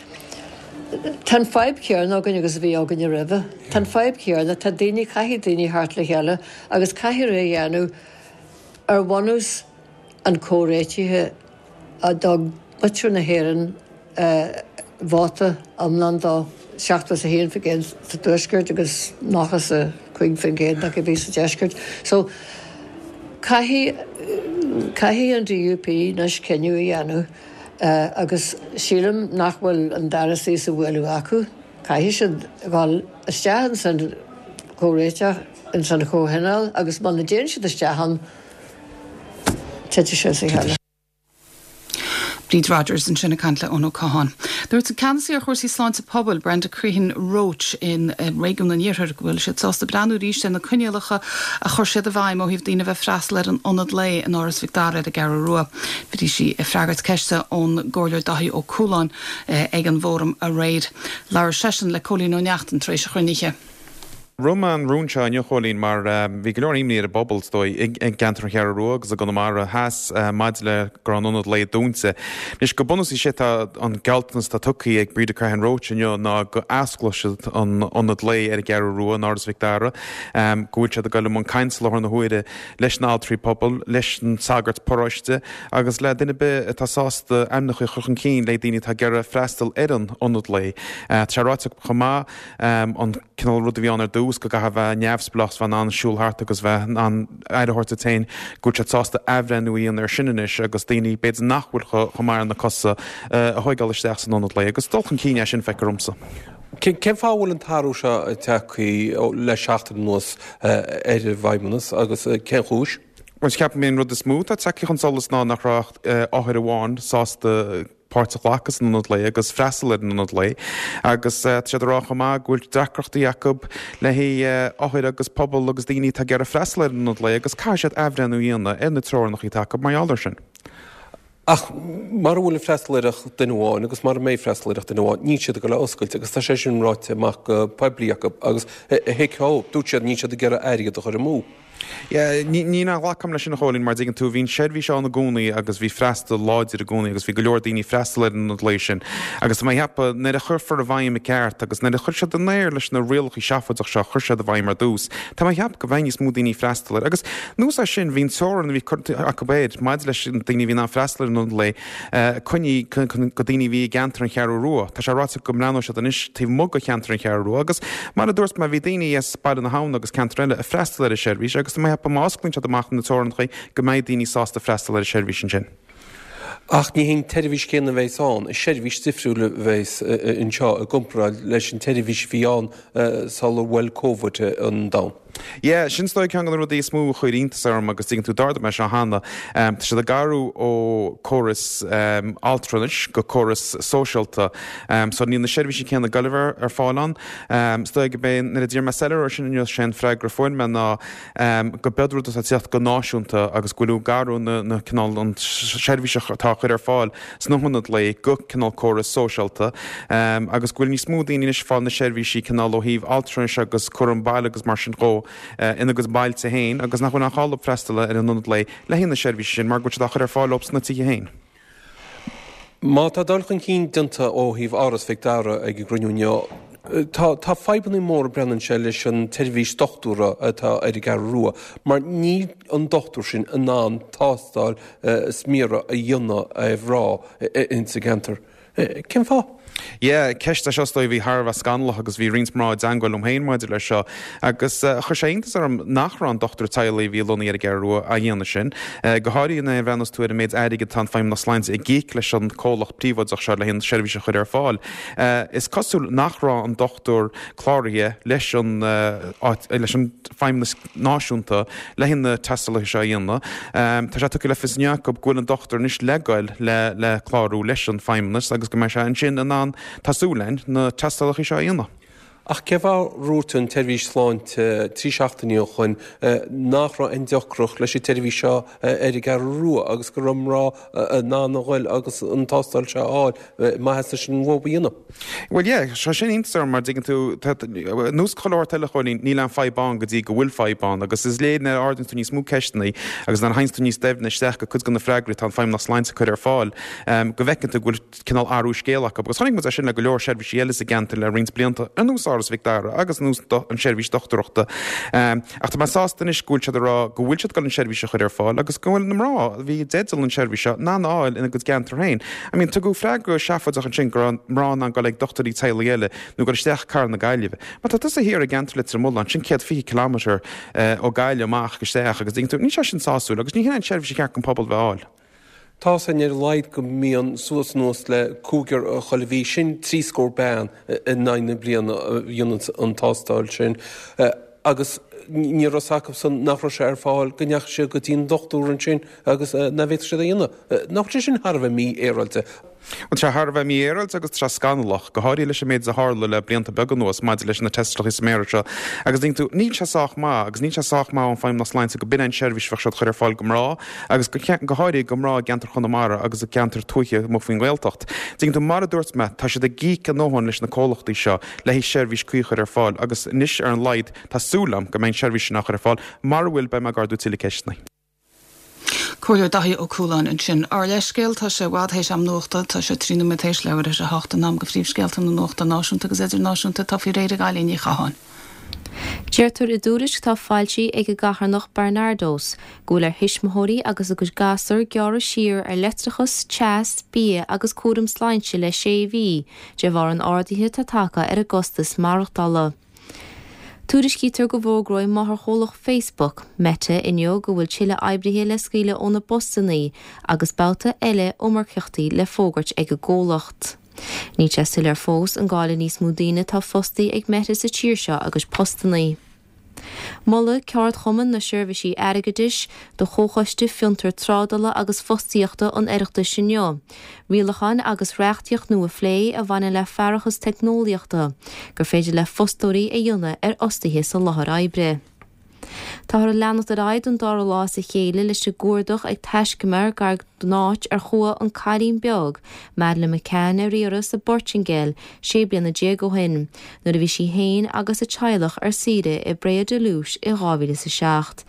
Tá an fadhb chéanna againn agus a bhí againne roimhe. Tá an fadhb chéanna, tá daoine, caithfidh daoine theacht le chéile agus caithfear é a dhéanamh ar bhunús an chomhréitithe a dtug muintir na hÉireann vóta iomlán dó, seachtó is a haon faoin gcéad sa Tuaisceart agus nócha is a cúig faoin gcéad nó cibé sa Deisceart. So, caithfidh, caithfidh an DUP anois cinneadh a dhéanamh. Agus sílim nach bhfuil an dara suí sa bhualadh acu. Caithfidh siad dhul isteach ins an chomhréiteach, ins an chomhthionól agus muna dtéann siad isteach ann, titfidh sé as a chéile. Bríd Rodgers ansin ag caint le Eoin Ó Catháin. Dúirt an Ceannasaí ar chúrsaí sláinte pobail, Brenda Crehan Roche in réigiún an Iarthair go bhfuil siad sásta breathnú arís ar na coinníollacha a chuir siad i bhfeidhm ó thaobh daoine a bheith freastal ar an ionad lae in Áras Mhic Dara ar an gCeathrú Rua. Bhí sí ag freagairt ceiste ón gComhairleoir Dáithí Ó Cualáin ag an bhfóram aréir. Labhair seisean le Cóilín Ó Neachtain tar éis an chruinnithe. Rith mé an rún seo inniu, a Chóilín, mar bhí go leor imní ar an bpobal, is dóigh, i gceantar an Cheathrú Rua agus i gConamara Theas maidir le go raibh an ionad lae dúnta. Anois, go bunúsach sé tá an gealltanas atá tugtha ag Breda Crehan Roche inniu ná go osclóidh siad an ionad lae ar an gCeathrú Rua in Áras Mhic Dara, go bhfuil siad ag dul i mbun cainte i láthair na huaire leis na altraí pobail, leis an sagart paróiste agus le duine ar bith atá sásta ainmneacha a chur chun cinn le daoine atá ag iarraidh freastal ar an ionad lae. Tá sé ráite chomh maith an cineál rud a bhí ann ar dtús, dtús go gcaithfidh bheith neamhspleách, bheith in ann siúl thart agus bheith in ann aire a thabhairt duit féin, go bhfuil siad sásta athbhreithniú a dhéanamh ar sin anois agus daoine b'fhéidir nach bhfuil chomh maith ar na cosa a thóigeáil isteach san ionad lae agus dul chun cinn é sin feictear domsa. Cén fáth a bhfuil an t-athrú seo tagtha le seachtain anuas ar an bhFeidhmeannas agus cén chúis? Bhuel, ceapaim an rud is mó atá tagtha chun solais ná nach raibh ach othar amháin sásta páirt a ghlacadh san ionad lae agus freastal ar an ionad lae agus tá siad ag rá chomh maith go bhfuil deacrachtaí acu le haghaidh othair agus pobal agus daoine atá ag iarraidh freastal ar an ionad lae agus caithfidh siad athbhreithniú a dhéanamh ar na treorannacha atá acu mar gheall air sin. Ach mara bhfuil ag freastal air ach duine amháin agus mara mbeidh freastal air ach duine amháin, níl siad ag dul a oscailt agus tá sé sin ráite amach go poiblí acu agus thuig thú, dúirt siad níl siad ag iarraidh airgead a chur amú. Yeah, ní ní ghlacaim leis sin a Chóilín mar dtuigeann tú bhí an seirbhís ann i gcónaí agus bhí freastal láidir i gcónaí agus bhí go leor daoine ag freastal ar an ionad lae sin agus tá mé ag ceapadh nuair a chuirfear i bhfeidhm i gceart agus nuair a chuir siad an aer leis na rialacha seafóideach seo chuir siad i bhfeidhm ar dtús tá mé ag ceapadh go mbeidh níos mó daoine ag freastal air agus anuas air sin bhí an teorainn a bhí curtha acu air maidir leis na daoine a bhí in ann freastal ar an ionad lae coinnithe go daoine a bhí i gceantar an Cheathrú Rua. Tá sé ráite go mbreathnóidh siad anois taobh amuigh de cheantar an Cheathrú Rua agus mar a dúirt mé bhí daoine as Baile na hAbhann agus ceantar eile ag freastal ar an seirbhís agus tá mé ag ceapadh má osclaíonn siad amach na teorainneacha go mbeidh daoine sásta freastal ar an seirbhís ansin. Ach ní hé an tseirbhís chéanna a bheas ann, is seirbhís difriúil a bheas anseo i gcomparáid leis an tseirbhís a bhí ann sular bhuail Covid an domhan. Yeah, sin is dóigh ceann de na rudaí is mó a chuir iontas orm agus tuigeann tú d'ardaigh mé seo cheana. Tá siad ag athrú ó córas altranais go córas sóisialta. So níl na seirbhísí céanna ag goil a bheith ar fáil ann. Is dóigh go b'é nuair a d'iarr mé soiléiriú air sin inniu sé an freagra a fuair mé ná go b'iod rud atá ag teacht go náisiúnta agus go bhfuil ag athrú na na cineál an seirbhís atá á chur ar fáil sna hionaid lae go cineál córas sóisialta agus go bhfuil níos mó daoine anois ag fáil na seirbhísí cineál ó thaobh altranais agus cúram baile agus mar sin dhó ina gcuid bailte féin agus nach bhfuil aon chall dóibh freastal ar an ionad lae le haghaidh na seirbhísí sin mar go bhfuil siad á chur ar fáil dóibh sna tithe féin. Má tá dul chun cinn déanta ó thaobh Áras Mhic Dara ag an gcruinniú inniu, tá tá fadhbanna móra breathnaíonn sé leis an tseirbhís dochtúra atá ar an gCeathrú Rua mar níl an dochtúir sin in ann tástáil sméara a dhéanamh ar mhná insa gceantar. Cén fáth? Yeah, ceist é seo is dóigh a bhí thar a bheith scannalach agus bhí roinnt mná i dteangmháil liom féin maidir leis seo agus chuir sé iontas orm nach raibh an dochtúir teaghlaigh a bhí lonnaithe ar an gCeathrú Rua á dhéanamh sin, go háirithe nuair a bhreathnós tú ar an méid airgid atá an Feidhmeannas Sláinte ag íoc leis an comhlacht príobháideach seo le haghaidh an seirbhís a chur ar fáil. Is cosúil nach raibh an dochtúir cláraithe leis an leis an Feidhmeannas Náisiúnta le haghaidh na tástálacha seo a dhéanamh. Tá sé tugtha le fios inniu acu go bhfuil an dochtúir anois le goil le le clárú leis an Feidhmeannas agus go mbeidh sé ansin in ann, tá súil againn, na tástálacha seo a dhéanamh. Ach cén fáth ar dhúirt an tseirbhís sláinte trí seachtainí ó shoin nach raibh aon deacracht leis an tseirbhís seo ar an gCeathrú Rua agus go raibh mná in ann a ghoil agus an tástáil seo a fháil maitheas leis an mhodh a dhéanamh? Bhuel yeah, sé sin iontas orm mar dtuigeann tú, ar nós chuile shórt eile a Chóilín, níl aon fadhb ann go dtí go bhfuil fadhb ann agus is léir nuair a ardaíonn tú níos mó ceisteanna agus nuair a théanns tú níos doimhne isteach go cuid de na freagraí atá an Feidhmeannas Sláinte ag cur ar fáil go bhfeiceann tú go bhfuil cineál athrú scéil acu agus chonaic muid é sin le go leor seirbhísí eile sa gceantar le roinnt blianta, ar nós Áras Mhic Dara agus ar nós an tseirbhís dochtúireachta. Ach tá mé sásta anois go bhfuil siad ag rá go bhfuil siad ag dul an seirbhís a chur ar fáil agus go bhfuil na mná a bhí i dteideal an seirbhís seo in ann a fháil ina gcuid gceantar féin. I mean, tugadh freagra seafóideach ansin go raibh mná in ann dul ag dochtúirí teaghlaigh eile nó dul isteach i gcathair na Gaillimhe. Má tá tusa thiar i gceantar Leitir Mealláin, sin céad fiche kilometre ó Gaillimh amach isteach agus tuigeann tú, níl sé sin sásúil agus ní hin an tseirbhís a cheart don pobal bheith a fháil. Tá a fhios againn ar a laghad go mbíonn suas anuas le cúigear chuile mhí, sin trí scór bean in aghaidh na bliana a dhéanann an tástáil sin agus ní raibh a fhios acusan nach raibh sé ar fáil go ndeachaigh siad go dtí an dochtúir ansin agus nach bhféadfadh siad é a dhéanamh. Nach bhfuil sé sin thar a bheith mífhéaráilte? Tá sé thar a bheith mífhéaráilte agus tá sé scannalach, go háirithe leis an méid a tharla le blianta beaga anuas maidir leis na tástálacha sméara seo. Agus tuigeann tú, níl sé sách maith, agus níl sé sách maith ón Feidhmeannas Sláinte go b'in an tseirbhís a bheadh siad a chur ar fáil go mná, agus go go háirithe go mná i gceantar Chonamara agus i gceantair tuaithe amuigh faoin nGaeltacht. Tuigeann tú, mar a dúirt mé, tá siad ag íoc a ndóthain leis na comhlachtaí seo le haghaidh seirbhís cuí a chur ar fáil agus anois ar an laghad tá súil agam go mbeidh an tseirbhís sin á chur ar fáil. Mara bhfuil, beidh mé ag ardú tuilleadh ceisteanna. Comhairleoir Daithí Ó Cualáin ansin. Ár leithscéal, tá sé i bhfad théis am nuachta, tá sé trí nóiméad théis leathuair théis a hocht, in am do phríomhscéalta na nuachta náisiúnta agus idirnáisiúnta atá faoi réir ag Eilín Ní Chatháin. Deirtear i dtuairisc atá foilsithe ag an gcarthanacht Barnardos go bhfuil ar thuismitheoirí agus a gcuid gasúr gearradh siar ar leictreachas, teas, bia agus cúram sláinte le sé mhí de bharr an ardaithe atá tagtha ar a gcostas maireachtála. Tuairiscítear go bhfógróidh máthairchomhlacht Facebook, Meta, inniu go bhfuil tuilleadh oibrithe le scaoileadh óna bpostanna agus babhta eile iomarcaíochtaí le fógairt ag an gcomhlacht. Níl sé soiléir fós an gcaillfidh níos mó daoine atá fostaí ag Meta sa tír seo a gcuid postanna. Molfaidh Ceardchumann na Seirbhísí Airgeadais do Chomhchoiste Fiontar Trádála agus Fostaíochta an Oireachtais inniu rialacháin agus reachtaíocht nua a phlé a bhaineann le faireachas teicneolaíochta gur féidir le fostóirí a dhéanamh ar fhostaithe sa láthair oibre. Táthar ag leanacht ar aghaidh don dara lá as a chéile leis an gcuardach ag taiscumar gar don áit ar chuaigh an cailín beag, Madeleine McCann ar iarraidh sa bPortaingéil sé bliana déag ó shin, nuair a bhí sí féin agus a teaghlach ar saoire i bPraia da Luz i dhá mhíle is a seacht.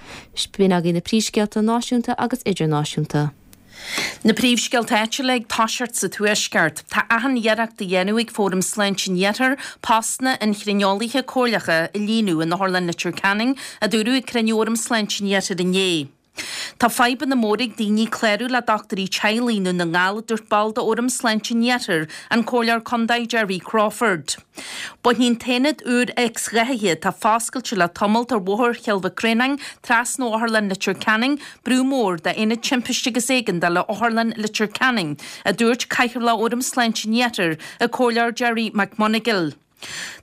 B'in agaibh na príomhscéalta náisiúnta agus idirnáisiúnta. Na príomhscéalta áitiúla ag toiseacht sa Tuaisceart. Tá achan iarracht á dhéanamh ag Fóram Sláinte an Iarthair postanna inchríneolaithe comhairleacha a líonadh in Otharlann Leitir Ceanainn, a dúradh ag cruinniú Fhóram Sláinte an Iarthair inné. Tá fadhbanna móra ag daoine clárú le dochtúirí teaghlaigh i nDún na nGall, a dúirt ball d'Fhóram Sláinte an Iarthair, an Comhairleoir Contae Gerry Crawford. Bainfidh an t-aonad úr X-ghathaithe atá foscailte le tamalt ar Bhóthar Chill Mhic Réanáin, trasna ó Otharlann Leitir Ceanainn, brú mór d'Aonad Timpiste agus Éigeandála Otharlann Leitir Ceanainn, a dúirt Cathaoirleach Fhóram Sláinte an Iarthair, an Comhairleoir Gerry McMonagall.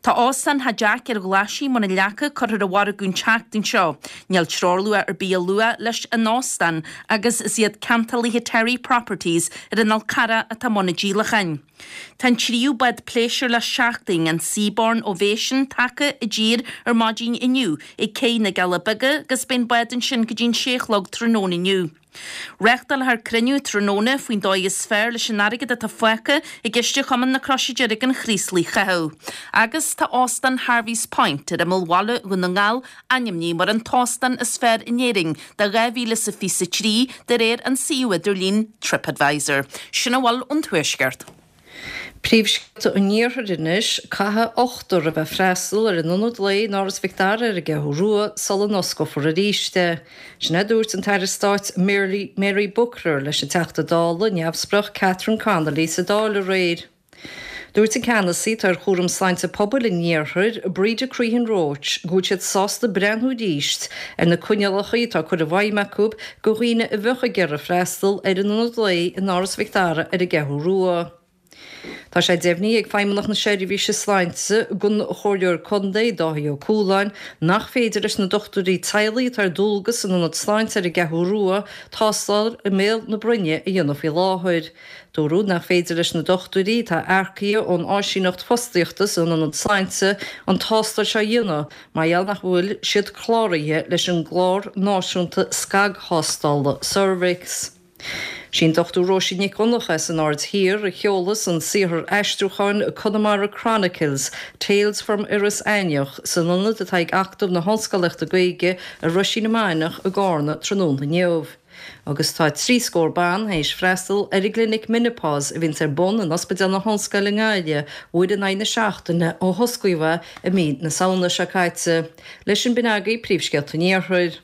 Tá óstán Theach Jack ar Ghlaisigh i mBun an Leaca curtha ar an mhargadh an tseachtain seo. Níl treoirluach ar bith á lua leis an óstán agus is iad ceantálaithe Terry Properties ar an Fhál Carrach atá i mbun an díolacháin. Tá an tríú bád pléisiúir le seachtain, an Seabourn Ovation, tagtha i dtír ar maidin inniu ag Cé na gCealla Beaga agus beidh an bád ansin go dtí an sé a chlog tráthnóna inniu. Reáchtálfar cruinniú tráthnóna faoin dóigh is fearr leis an airgead atá fágtha i gciste Chumann na Croise Deirge an Chraoslaigh a chaitheamh. Agus tá Óstán Harvey's Point ar imeall bhaile Dhún na nGall ainmnithe mar an t-óstán is fearr in Éirinn do dhá mhíle is a fiche a trí de réir an suíomh idirlín TripAdvisor. Sin a bhfuil ón Tuaisceart. Príomhscéalta an Iarthair anois, Caithfidh ochtar a bheith freastal ar an ionad lae in Áras Mhic Dara ar an gCeathrú Rua sula n-osclófar arís é. Sin é a dúirt an tAire Stáit Mary Booker leis an Teachta Dála neamhspleách Catherine Connolly sa Dáil aréir. Dúirt an ceannasaí atá ar chúram sláinte pobail an iarthair, Breda Crehan Roche, go bhfuil siad sásta breathnú arís ar na coinníollacha atá curtha i bhfeidhm acu do dhaoine a bheadh ag iarraidh freastal ar an ionad lae in Áras Mhic Dara ar an gCeathrú Rua. Tá sé deimhnithe ag Feidhmeannacht na Seirbhíse Sláinte don Chomhairleoir Contae, Dáithí Ó Cualáin, nach féidir leis na dochtúirí teaghlaigh atá ar dualgas san Ionad Sláinte ar an gCeathrú Rua tástáil i mbéal na broinne a dhéanamh faoi láthair. Dúradh nach féidir leis na dochtúirí atá earcaithe ón áisíneacht fostaíochta san Ionad Sláinte an tástáil seo a dhéanamh mar gheall nach bhfuil siad cláraithe leis an gclár náisiúnta scagthástála ceirbheacs. Sí an Dochtúir Róisín Nic Dhonncha as an Aird Thiar a sheolfas an saothar aistriúcháin Connemara Chronicles, Tales from Iorras Aithneach san ionad atá ag Acadamh na hOllscolaíochta Gaeilge i Roisín na Mainiach i gCarna tráthnóna inniu. Agus tá trí scór ban théis freastal ar an gclinic Menopause a bhíonns ar bun in Ospidéal na hOllscoile i nGaillimh uair in aghaidh na seachtaine ó hosclaíodh é i mí na Samhna seo caite. Leis sin b'in agaibh príomhscéalta an Iarthair.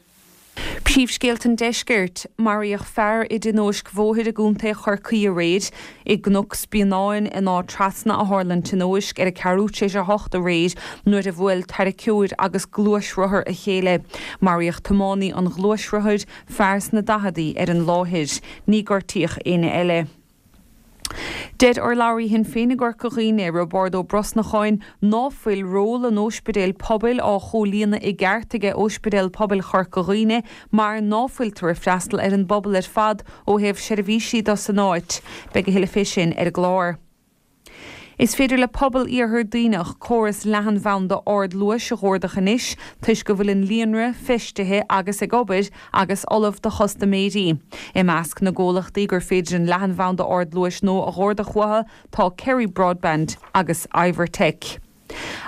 Príomhscéalta an Deiscirt, Maraíodh fear i dtionóisc bhóthair i gContae Chorcaí aréir. I gCnoc Spíonáin in Áth Trasna a tharla an tionóisc ar a ceathrú tar éis a hocht aréir nuair a bhuail tarraiceoir agus gluaisrothar a chéile. Maraíodh tiománaí an ghluaisrothair, fear sna daicheadaí, ar an láthair. Ní gortaíodh éinne eile. Deir urlabhraí Shinn Féin i gCorca Dhuibhne, Roibeárd Ó Brosnacháin, ná fuil ról an óispidéil pobail á chomhlíonadh i gceart aige Óispidéal Pobail Chorca Dhuibhne mar ná fuiltear ag freastal ar an bpobal ar fad ó thaobh seirbhísí do san áit. Beidh a thuilleadh fé sin ar an gclár. Is féidir le pobal Iarthar Duibhneach córas leathanbhanda ardluais a dh'ordach anois toisc go bhfuil an líonra feistithe agus ag obair agus ullamh do chustaiméirí. I measc na gcomhlachtaí gur féidir an leathanbhanda ardluais nua a dh'ordach uathu tá Kerry Broadband agus Ivertech.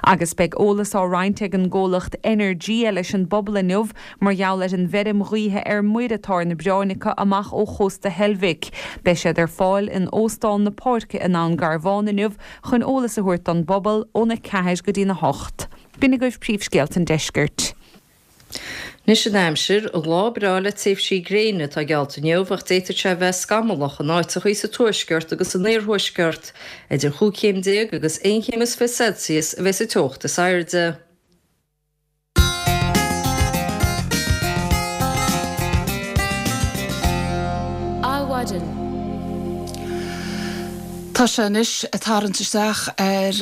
Agus beidh eolas á roinnt ag an gcomhlacht Energia leis an bpobal inniu mar gheall ar an bhfeirm ghaoithe ar muir atá ar na bioráin acu amach ó chósta Heilbhic. Beidh siad ar fáil in Óstán na Páirce i nDún Garbhán inniu chun eolas a thabhairt don bpobal óna ceathair go dtína hocht. B'in agaibh príomhscéalta an deiscirt. Anois an aimsir, Lá breá le tréimhsí gréine atá geallta inniu ach d'fhéadfadh sé a bheith scamallach in áiteachaí sa tuaisceart agus san iarthuaisceart. Idir chúig chéim déag agus aon chéim is fiche Celsius a bheas an teocht is airde. Tá sé anois ag tarraingt isteach ar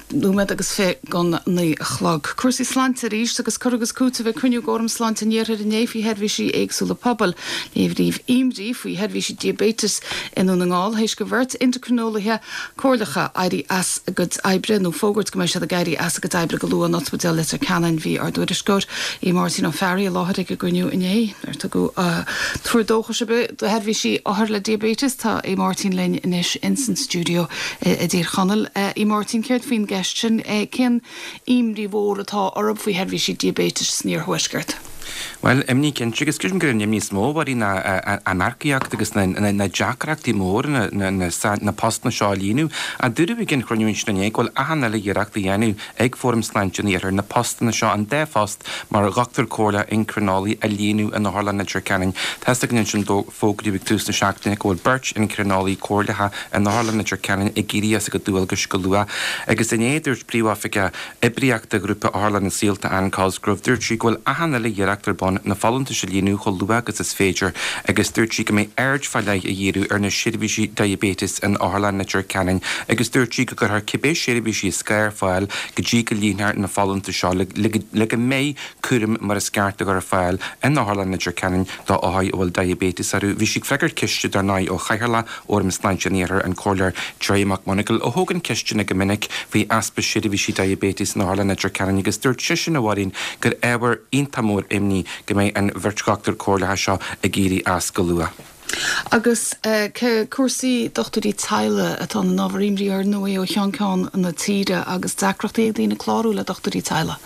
nóiméad agus fiche don naoi a chlog. Cúrsaí sláinte arís agus cur agus cúiteamh ag cruinniú d'Fhóram Sláinte an Iarthair inné faoi sheirbhísí éagsúla pobail. Léiríodh imní faoi sheirbhísí diaibéitis i nDún na nGall théis do bheirt indicrineolaithe comhairleacha éirí as a gcuid oibre nó fógairt go mbeidh siad ag éirí as a gcuid oibre go luath in Ospidéal Leitir Ceanainn. Bhí ár dtuairisceoir Aodh Máirtín Ó Fearraigh i láthair ag an gcruinniú inné. Ar tugadh tuar dóchais ar bith do sheirbhísí othar le diaibéiteas. Tá Aodh Máirtín linn anois ins an stiúideo i dTír Chonaill. A Mháirtín, céard faoin gceist sin? Cén imní mhór atá oraibh faoi sheirbhísí diaibéitis san iarthuaisceart? Bhuel, imní cinnte, agus creidim gur an imní is mó a Mháirín ná an earcaíocht agus na deacrachtaí móra na postanna seo a líonadh. Ach dúradh ag an chruinniú ansin inné go bhfuil achan uile iarracht á dhéanamh ag Fóram Sláinte an Iarthair na postanna seo, an dá phost mar dhochtúir comhairleach incrineolaí a líonadh in Otharlann Leitir Ceanainn. Tá's againn ansin fógraíodh ag tús na seachtaine go bhfuil beirt incrineolaí comhairleacha in Otharlann Leitir Ceanainn ag éirí as a gcuid dualgais go luath. Agus inné dúirt Príomhoifigeach Oibríochta Ghrúpa Otharlanna Saolta Ann Cosgrove, dúirt sí go bhfuil achan uile iarracht ar bun na folúntais a líonadh chomh luath agus is féidir agus dúirt sí go mbeidh aird fá leith á dhíriú ar na seirbhísí diaibéitis in Otharlann Leitir Ceanainn agus dúirt sí go gcuirfear cibé seirbhísí is gá ar fáil go dtí go líonfar na folúntais seo le go mbeidh cúram mar is ceart á chur ar fáil in Otharlann Leitir Ceanainn do othair a bhfuil diaibéiteas orthu. Bhí sí ag freagairt ceiste dar ndóigh ó Chathaoirleach Fhóram Sláinte an Iarthair, an Comhairleoir Gerry McMonagall, a thógann ceisteanna go minic faoi easpa seirbhísí diaibéitis in Otharlann Leitir Ceanainn agus dúirt seisean, a Mháirín, gur ábhar iontach mór imní go mbeidh an bheirt dhochtúir comhairleacha seo ag éirí as go luath. Agus cúrsaí dochtúirí teaghlaigh atá ina n-ábhar imní ar ndóigh ó cheann ceann na tíre agus deacrachtaí ag daoine clárú le dochtúirí teaghlaigh.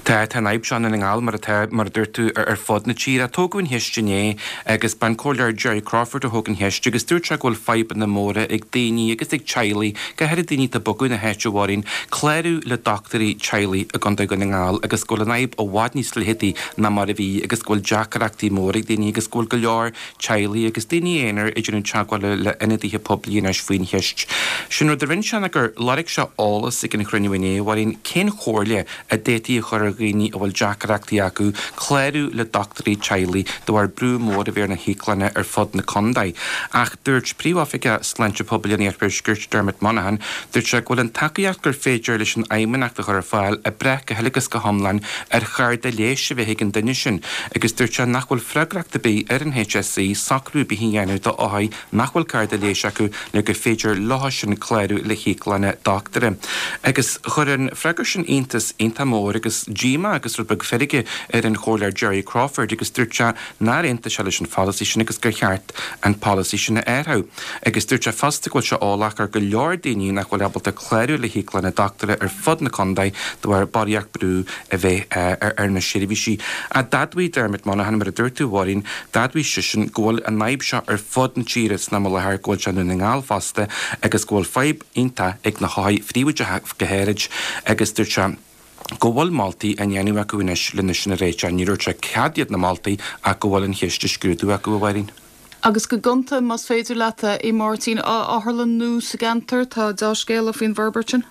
Tá, tá an fhadhb seo i nDún na nGall mar atá, mar a dúirt tú, ar fud na tíre. Tógadh an cheist inné agus b'an Comhairleoir Gerry Crawford a thóg an cheist agus dúirt sé go bhfuil fadhbanna móra ag daoine agus ag teaghlaigh, go háirithe daoine atá ag bogadh na háite, a Mháirín, clárú le dochtúirí teaghlaigh i gContae Dhún na nGall agus go bhfuil an fhadhb i bhfad níos leitheadaí ná mar a bhí agus go bhfuil deacrachtaí móra ag daoine agus go bhfuil go leor teaghlaigh agus daoine aonair ag déanamh teagmhála le ionadaithe poiblí anois faoin cheist. Sin rud a rinne sé ná gur lorg sé eolas ag an chruinniú inné, a Mháirín, cén chomhairle a d'fhéadfaí a chur ar dhaoine a bhfuil deacrachtaí acu clárú le dochtúirí teaghlaigh de bharr brú mór a bheith ar na híoclanna ar fud na contae. Ach dúirt Príomhoifigeach Sláinte Pobail an Iarthuaiscirt, Dermot Monaghan, dúirt sé go bhfuil an tacaíocht gur féidir leis an Fheidhmeannacht a chur ar fáil ag brath go huile agus go hiomlán ar chárta leighis a bheith ag an duine sin agus dúirt sé nach bhfuil freagracht ar bith ar an HSE socrú ar bith a dhéanamh do othair nach bhfuil cárta leighis acu le gur féidir leo sin clárú le híoclanna dochtúra. Agus chuir an freagra sin iontas iontach mór agus díomá agus rud beag feirge ar an Chomhairleoir Gerry Crawford agus dúirt sé nár aontaigh sé leis an pholasaí sin agus gur cheart an polasaí sin a athrú. Agus dúirt sé fosta go bhfuil sé eolach ar go leor daoine nach bhfuil ábalta clárú le híoclanna dochtúra ar fud na contae de bharr barraíocht brú a bheith ar na seirbhísí. Ach d'admhaigh Dermot Monaghan, mar a dúirt tú a Mháirín, d'admhaigh seisean go bhfuil an fhadhb seo ar fud na tíre san am i láthair, go bhfuil sé i nDún na nGall fosta agus go bhfuil fadhb iontach ag na hothair phríobháideacha go háirid agus dúirt sé go bhfuil moltaí á ndéanamh acu anois lena sin a réiteach. Ní dúirt sé cad iad na moltaí ach go bhfuil an cheist á scrúdú acu, a Mháirín. Agus go gonta, más féidir leat, a Mháirtín, otharlann nua sa gceantar, tá dea-scéala faoin bhforbairt sin?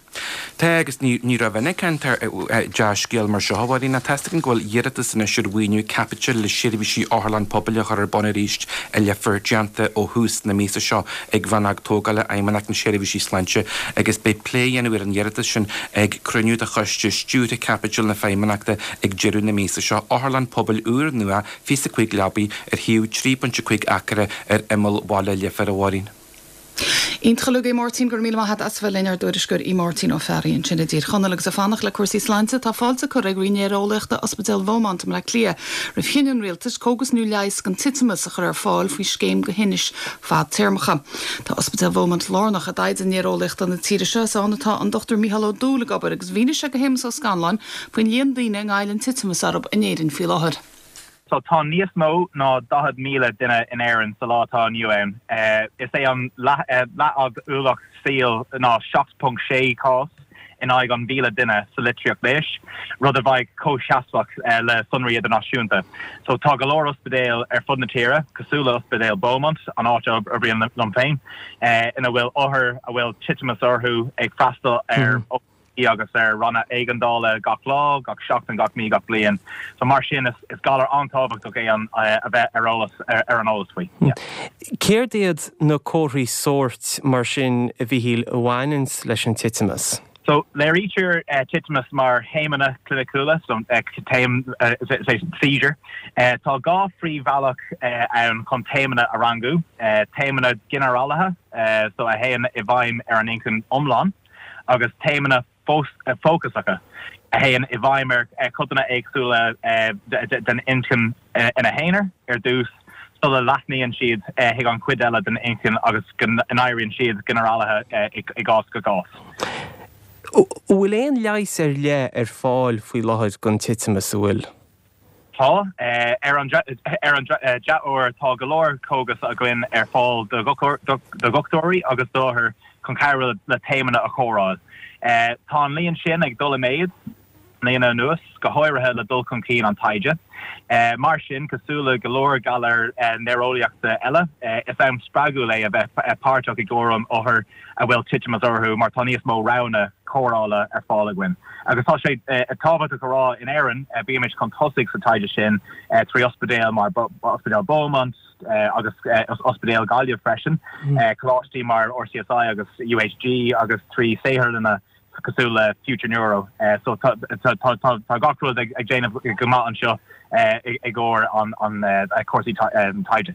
Tá, agus ní rómhinic a fhaightear dea-scéal mar seo, a Mháirín. Tá a fhios againn go bhfuil iarratas anois ar mhaoiniú caipitil le seirbhísí otharlann pobail a chur ar bun arís i Leifear déanta ó thús na míosa seo ag Rannóg Tógála Fheidhmeannacht na Seirbhísí Sláinte agus beidh plé á dhéanamh ar an iarratas sin ag cruinniú de Choiste Stiúrtha Caipitil na Feidhmeannachta ag deireadh na míosa seo. Otharlann pobail úr nua, fiche is a cúig leabaidh, ar shuíomh trí pointe cúig acra ar imeall bhaile Leifir, a Mháirín. Iontach uilig, a Mháirtín, go raibh míle maith agat as a bheith linn, ár dtuairisceoir Aodh Máirtín Ó Fearraigh ansin i dTír Chonaill agus ag fanacht le cúrsaí sláinte, tá fáilte curtha ag Roinn Néareolaíochta Ospidéal Bheaumont i mBleá Cliath roimh chinneadh an Rialtais cógas nua leighis don titimeas a chur ar fáil faoi scéim do thinnis fadtéarmacha. Tá Ospidéal Bheaumont lárnach i dtaighde néareolaíochta na tíre seo. Is ann atá an Dochtúir Mícheál Ó Dúill ag obair agus mhínigh sé do Shéamus Ó Scanláin faoin líon daoine a ngabhann titimeas orthu in Éirinn faoi láthair. So tá níos mó ná daichead míle duine in Éirinn sa lá atá inniu ann. Is é an leathfhad ualach saoil ná seacht ponc sé cás in aghaidh an mhíle duine sa litríocht leighis, rud a bheidh comhsheasmhach le sonraí idirnáisiúnta. So tá go leor ospidéal ar fud na tíre, cosúil le Ospidéal Beaumont, an áit a oibrím liom féin, ina bhfuil othair a bhfuil titimeas orthu ag freastal ar agus ar ranna éigeandála gach lá, gach seachtain, gach mí, gach bliain. So mar sin is is galar an-tábhachtach é an a bheith ar eolas ar an eolas faoi. Yeah. Céard iad na comharthaí sóirt mar sin, a Mhíchíl, a bhaineanns leis an titimeas? So léirítear titimeas mar thaomanna cliniciúla, so taom seizure. Tá dhá phríomhbhealach ann chun taomanna a rangú, taomanna ginearálaithe, so a théann i bhfeidhm ar an inchinn iomlán, agus taomanna fócasacha, a théann i bhfeidhm ar chodanna éagsúla den inchinn ina n-aonar ar dtús sula leathnaíonn siad chuig an chuid eile den inchinn agus go n-éiríonn siad ginearálaithe i gcás go cás. An bhfuil aon leigheas ar leith ar fáil faoi láthair don titimeas, an bhfuil? Tá. Ar an dea-uair, tá go leor cógas againn ar fáil do dhochtúirí agus d'othair chun cabhrú le taomanna a chóireáil. Tá an líon sin ag dul i méad le blianta anuas, go háirithe le dul chun cinn an taighde. Mar sin, cosúil le go leor galar néareolaíochta eile, is am spreagúil é a bheith páirteach i gcúram othar a bhfuil titimeas orthu mar tá níos mó roghanna cóireála ar fáil againn. Agus tá sé tábhachtach a rá, in Éirinn, bímid chun tosaigh sa taighde sin trí ospidéil mar Ospidéal Beaumont agus Ospidéal Gaillimh freisin, coláistí mar RCSI agus UHG agus trí saotharlanna cosúil le Future Neuro. So tá gach rud ag déanamh go maith anseo i gcomhair an cúrsaí taighde.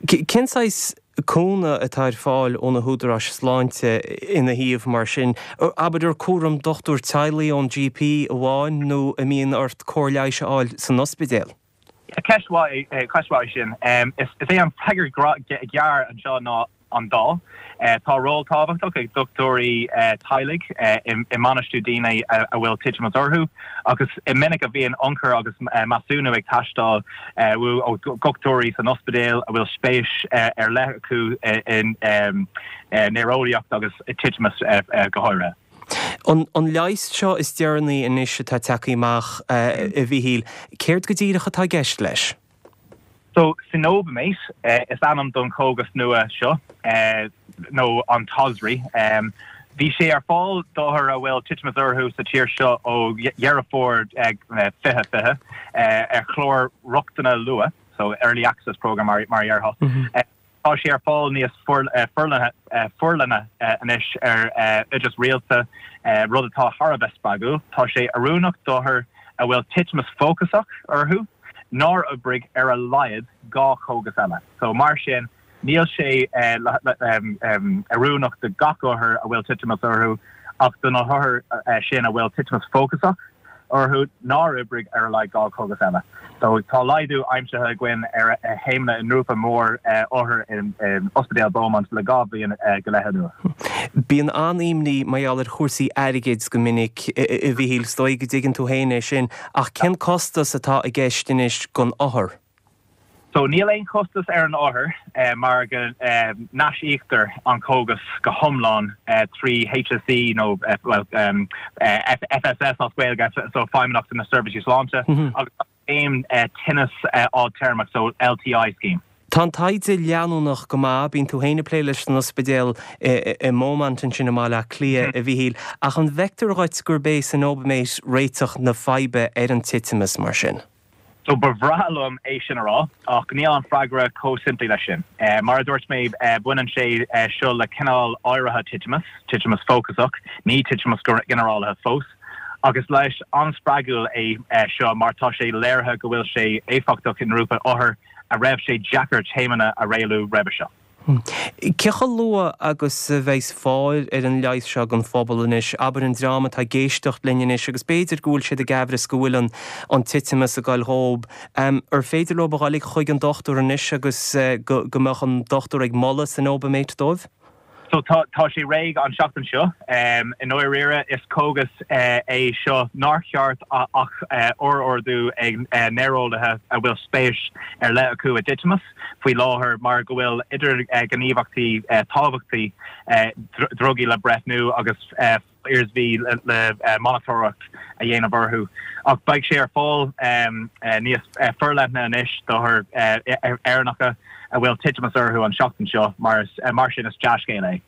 Cén saghas cúnamh atá ar fáil ó na húdaráis sláinte ina thaobh mar sin? Abair ar cúram dochtúir teaghlaigh ón GP amháin nó an mbíonn ort cóir leighis a fháil san ospidéal? Ceist mhaith é sin. Is é an freagra gearr anseo ná an dá. Tá ról tábhachtach ag dochtúirí teaghlaigh i mbainistiú daoine a bhfuil titimeas orthu agus is minic a bhíonn ionchur agus measúnú ag teastáil uathu ó dhochtúirí san ospidéal a bhfuil spéis ar leith acu i néareolaíocht agus i dtitimeas go háirithe. An leigheas seo is deireanaí anois atá tagtha amach, a Mhíchíl, céard go díreach atá i gceist leis? So, cenobamate is ainm don chógas nua seo, nó an Tozri. Bhí sé ar fáil d'othair a bhfuil titimeas orthu sa tír seo ó Dheireadh Fómhair fiche fiche ar chlár rochtana luath, so early access programme mar a dhéarfá. Tá sé ar fáil níos forleithne anois ar oideas rialta, rud atá thar a bheith spreagúil. Tá sé oiriúnach d'othair a bhfuil titimeas fócasach orthu nár oibrigh ar a laghad dhá chógas eile. So mar sin, níl sé oiriúnach do gach othar a bhfuil titimeas orthu ach do na hothair sin a bhfuil titimeas fócasach orthu nár oibrigh ar a laghad dhá chógas eile. So tá laghdú aimsithe againn ar thaomanna i ngrúpa mór othar in Ospidéal Beaumont le dhá bhliain go leith anuas. Bíonn an-imní mar gheall ar chúrsaí airgid go minic, a Mhíchíl, is dóigh go dtuigeann tú féin é sin, ach cén costas atá i gceist anois don othar? So níl aon chostas ar an othar mar go n-aisíoctar an cógas go hiomlán trí HSE nó well FSS as Gaeilge, so Feidhmeannacht na Seirbhísí Sláinte, agus an scéim tinneas fhadtéarmach, so LTI scheme. Tá an taighde leanúnach go maith, bíonn tú féin ag plé leis san ospidéal i Beaumont ansin i mBaile Átha Cliath, a Mhíchíl, ach an bhfeictear dhuit gurb é cenobamate réiteach na faidhbe ar an titimeas mar sin? So ba bhreá liom é sin a rá, ach níl an freagra chomh simplí leis sin. Mar a dúirt mé, baineann sé seo le cineál áirithe titimeas, titimeas fócasach, ní titimeas ginearálaithe fós. Ach is leigheas an-spreagúil é seo mar tá sé léirithe go bhfuil sé éifeachtach i ngrúpa othar a raibh sé deacair taomanna a rialú roimhe seo. Cé chomh luath agus a bheas fáil ar an leigheas seo don phobal anois? Abair an dream atá ag éisteacht linn anois agus b'fhéidir go bhfuil siad ag aimhreas go bhfuil an an titimeas ag goil dhób. Ar féidir leo a ghoil chuig an dochtúir anois agus go go mbeadh an dochtúir ag moladh cenobamate dóibh? So tá tá sé réidh an seachtain seo. I ndáiríre is cógas é seo nár cheart ach a fhorordú ag néareolaithe a bhfuil spéis ar leith acu i dtitimeas faoi láthair mar go bhfuil idirghníomhaíochtaí tábhachtacha drugaí le breithniú agus iarsmaí le monatóireacht a dhéanamh orthu. Ach beidh sé ar fáil níos forleithne anois d'othair Éireannacha a bhfuil titimeas orthu an seachtain seo, mar sin is dea-scéal é.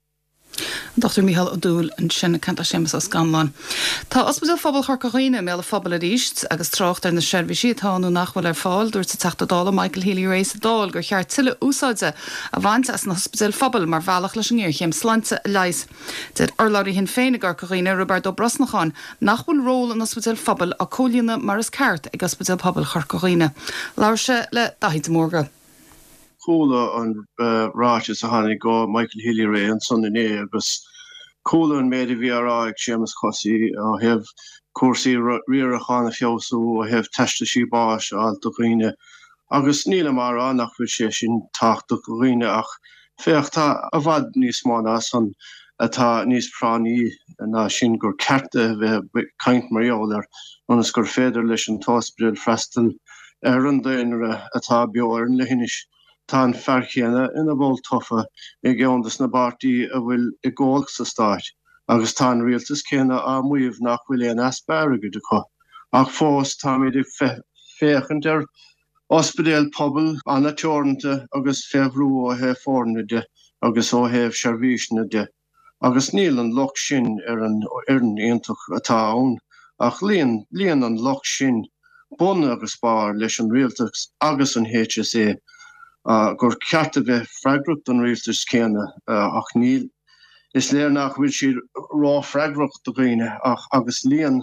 An Dochtúir Mícheál Ó Dúill ansin ag caint le Séamus Ó Scanláin. Tá Ospidéal Phobail Chorca Dhuibhne i mbéal an phobail arís agus trácht ar na seirbhísí atá nó nach bhfuil ar fáil, dúirt an Teachta Dála Michael Healy-Rae sa Dáil gur cheart tuilleadh úsáide a bhaint as na hospidéil phobail mar bhealach leis an ngéarchéim sláinte a leigheas. Deir urlabhraí Shinn Féin i gCorca Dhuibhne, Roibeard Ó Brosnacháin, nach bhfuil ról an ospidéil phobail á comhlíonadh mar is ceart ag Ospidéal Pobail Chorca Dhuibhne. Labhair sé le Daithí de Mórdha. Chuala an ráiteas a tháinig ó Michael Healy-Rae ansan inné agus chuala an méid a bhí á rá ag Séamus Cosaí ó thaobh cúrsaí riaracháin a feabhsú, ó thaobh teastaisí báis a fháil do dhaoine agus nílim á rá nach bhfuil sé sin tábhachtach do dhaoine ach féach tá i bhfad níos mó ná san atá níos práinní ná sin gur ceart a bheith ag caint mar gheall air ionas gur féidir leis an t-ospidéal freastal ar an daonra atá beo ar an leithinis. Tá an fear céanna ina bhall tofa i gceann des na bpáirtí a bhfuil i gcumhacht sa stáit agus tá an rialtas céanna á maíomh nach bhfuil aon easpa airgid acu. Ach fós táimid ag féachaint ar ospidéal pobail an-teoranta agus fé bhrú ó thaobh foirne de agus ó thaobh seirbhíseanna de. Agus níl an locht sin ar an fhoireann iontach atá ann, ach luíonn luíonn an locht sin bun agus barr leis an rialtas agus an HSA gur ceart a bheith freagrach don rialtas céanna ach níl. Is léir nach bhfuil siad ró-fhreagrach do dhaoine ach agus luíonn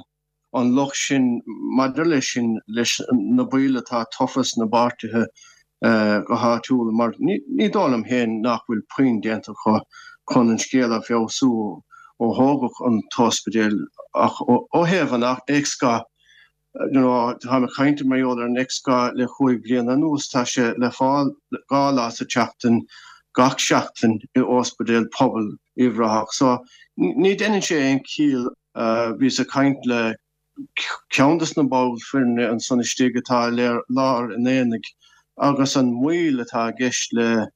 an locht sin maidir leis sin leis na baill atá tofa sna bpáirtithe go háitiúil mar ní dóigh liom féin nach bhfuil puinn déanta acu chun an scéal a fheabhsú ó thógadh an t-ospidéal ach ó thaobh an X-gha you know táim ag caint mar gheall ar an X-gha le chúig bliana anuas tá sé le fáil dhá lá sa tseachtain gach seachtain i ospidéal pobail Uíbh Ráthach so ní deineann sé aon chiall Bhíos ag caint le ceann des na baill foirne ansan istigh atá i lár an aonaigh agus an mhoill atá i gceist le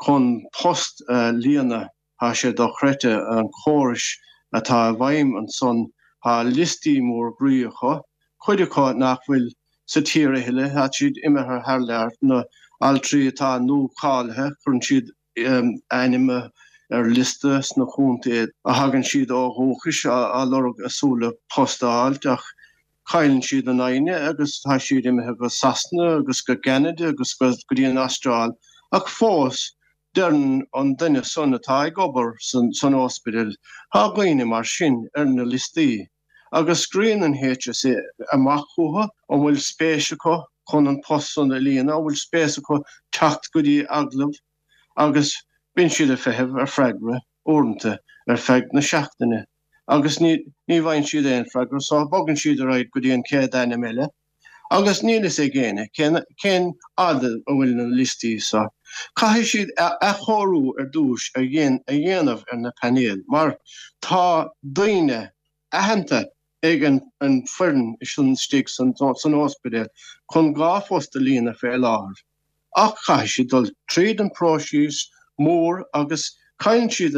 chun post a líonadh, tá sé dochreidte, an córais atá i bhfeidhm ansan, tá liostaí mór groí acu, cuid acu nach bhfuil sa tír a thuilleadh, tá siad imithe thar lear, na altraí atá nua-cháilithe, cuireann siad ainm ar liosta sna contaetha a thagann siad ó dhúchais á lorg a súil le post a fháilt ach cailleann siad a n-aghaidheanna agus tá siad imithe go Sasana agus go gCeanada agus go dtí an Astráil ach fós deireann an duine san atá ag obair san ospidéal tá dhaoine mar sin ar na liostaí agus scríobhann an HSE amach chucu an bhfuil spéis acu chun an post san a líonadh, an bhfuil spéis acu teacht go dtí agallamh agus bíonn siad ag feitheamh ar freagra uaireanta ar feadh na seachtaine agus ní ní bhfaigheann siad aon freagra so bogann siad ar aghaidh go dtí an chéad ainm eile agus níl fhios ag éinne cén cén fhad a bhfuil na liostaí so. Caithfidh siad athchóiriú ar dtús a dhéan a dhéanamh ar na painéil mar tá daoine aitheanta ag an an foireann sin istigh san san ospidéal chun dhá phost a líonadh fé láthair. Ach caithfidh siad dul tríd an próiseas mór agus cailleann siad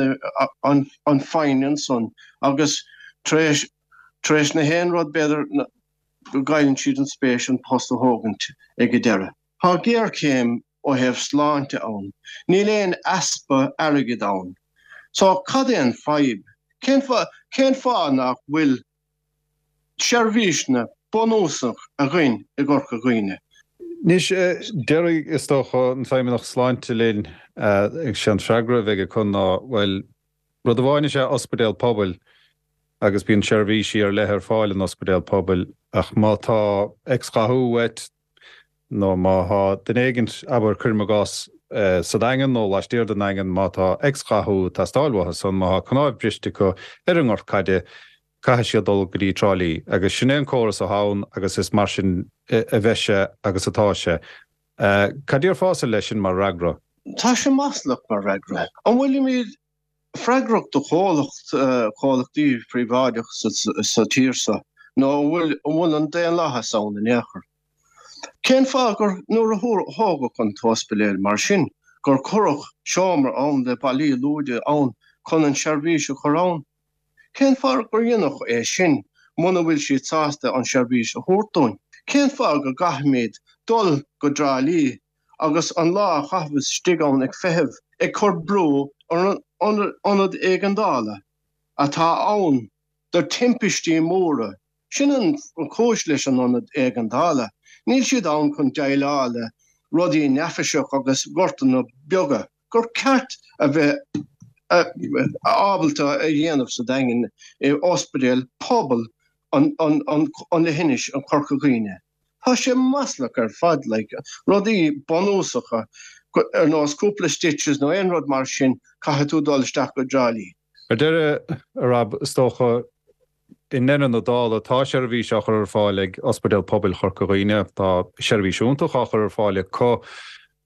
an foighne ansan agus tar éis tar éis na haon rud b'fhéidir go gcailleann siad an spéis an post a thógaint ag an deireadh. Tá géarchéim ó thaobh sláinte ann. Níl aon easpa airgid ann. So cad é an fadhb? Cén fáth cén fáth nach bhfuil seirbhíseanna bunúsach againn i gCorca Dhuibhne. Anois, déarfaidh, is dócha, an Feidhmeannach Sláinte linn, sé an freagra a bheidh acu ná, bhuel, rud amháin is ea ospidéal pobail agus bíonn seirbhísí ar leith ar fáil in ospidéal pobail ach má tá X-ghathú uait nó má thá duine éigint, abair, cuirim i gcás, sa Daingean nó laistiar den Daingean, má tá X-ghathú ag teastáil uathu san, má thá cnáimh briste acu ar an ngort caide, caithfidh siad dul go dtí Trá Lí. Agus sin é an córas atá ann agus is mar sin a bheidh sé agus atá sé. Cad déarfása leis sin mar fhreagra? Tá sé maslach mar fhreagra. An bhfuilimid freagrach do chomhlacht, comhlachtaí príobháideach sa tír seo nó an bhfuil an bhfuil an daonlathas ann in aon chor? Cén fáth gur nuair a thógadh an t-ospidéal mar sin gur cuireadh seomra ann le ballaí luaidhe ann chun an seirbhís a chur ann? Cén fáth gur deineadh é sin muna bhfuil siad sásta an seirbhís a thabhairt dúinn? Cén fáth go gcaithfimid dul go dTrá Lí agus an lá a chaitheamh istigh ann ag feitheamh, ag cur brú ar an ionad éigeandála? atá ann do timpistí móra, sin an chúis leis an ionad éigeandála, níl siad ann chun déileáil le rudaí neafaiseach agus gortanna beaga gur ceart a bheith ábalta a dhéanamh sa Daingean i ospidéal pobail an leithinis an Chorca Dhuibhne. Tá sé maslach ar fad, like, rudaí bunúsacha ar nós cúpla stitches nó aon rud mar sin, caithfidh tú dul isteach go Trá Lí. Ar deireadh, a Rob, is dócha, i ndeireadh na dála, tá seirbhís á chur ar fáil ag Ospidéal Pobail Chorca Dhuibhne, tá seirbhís iontach á chur ar fáil acu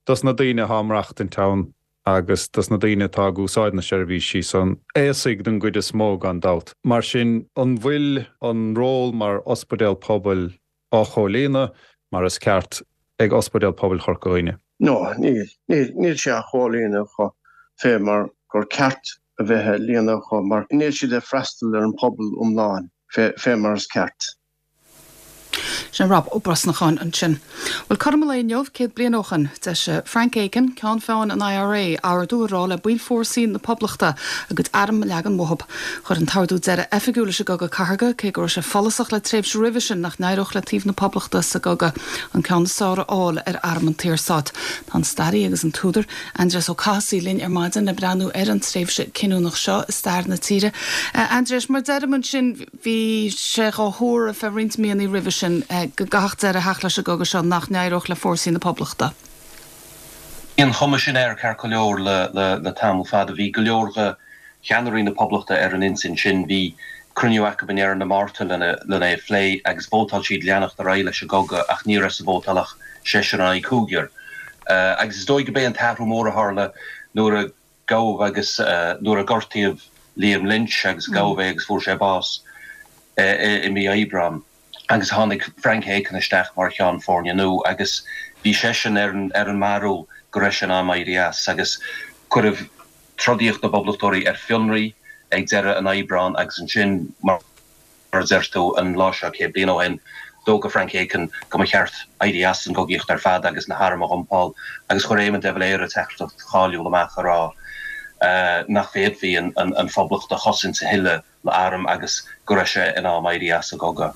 dos na daoine atá ag maireachtaint ann agus dos na daoine atá ag úsáid na seirbhísí san, aosaigh den gcuid is mó gan dabht. Mar sin, an bhfuil an ról mar ospidéal pobail á chomhlíonadh mar is ceart ag Ospidéal Pobail Chorca Dhuibhne? No, níl. Níl, níl sé á chomhlíonadh acu fé mar gur ceart a bheith á líonadh acu mar níl siad ag freastal ar an pobal iomlán fé, fé mar is ceart. Sin Rob Ó Brosnacháin ansin. Bhuel, cothrom an lae inniu, céad bliain ó shin, d'eisigh Frank Aiken, ceann feadhain an IRA, ordú ag rá le baill fórsaí na Poblachta a gcuid arm a leagan uathu. Chuir an t-ordú deireadh oifigiúil leis an gCogadh Cathartha, cé go raibh sé follasach le tréimhse roimhe sin nach n-éireodh le taobh na Poblachta sa gcogadh an ceann is fearr a fháil ar arm an tSaorstáit. Tá an staraí agus an t-údar, Aindrias Ó Cathasaigh, linn ar maidin le breathnú ar an tréimhse cinniúnach seo i stair na tíre. Aindrias, mar deirim ansin, bhí sé dhá thuar ar feadh roinnt míonna roimhe sin go gcaithfeadh deireadh a theacht leis an gcogadh seo nach n-éireodh le fórsaí na Poblachta. Bhí an chuma sin air ceart go leor le tamall fada. Bhí go leor de cheannairí na Poblachta ar an intinn sin. Bhí cruinniú acu i ndeireadh na Márta lena é a phlé agus vótáil siad leanacht ar aghaidh leis an gcogadh ach ní raibh sa vótáil ach seisear in aghaidh cúigear. Agus is dóigh go b'é an t-athrú mór a tharla nuair a gabhadh agus nuair a gortaíodh Liam Lynch agus gabhadh é agus fuair sé bás i mí Aibreáin agus tháinig Frank Aiken isteach mar cheann foirne nua agus bhí seisean ar an mbarúil go raibh sé in am éirí as agus cuireadh trodaíocht na bPoblachtóirí ar fionraí ag deireadh an Aibreáin agus ansin mar Mar a deir tú, an lá seo céad bliain ó shin, d'fhógair Frank Aiken go mba cheart éirí as an gcogaíocht ar fad agus na hairm a dhumpáil agus chuir Éamon de Valera teachtaireacht cháiliúil amach ag rá nach bhféadfaí an Phoblacht a chosaint a thuilleadh le hairm agus go raibh sé in am éirí as an gcogadh.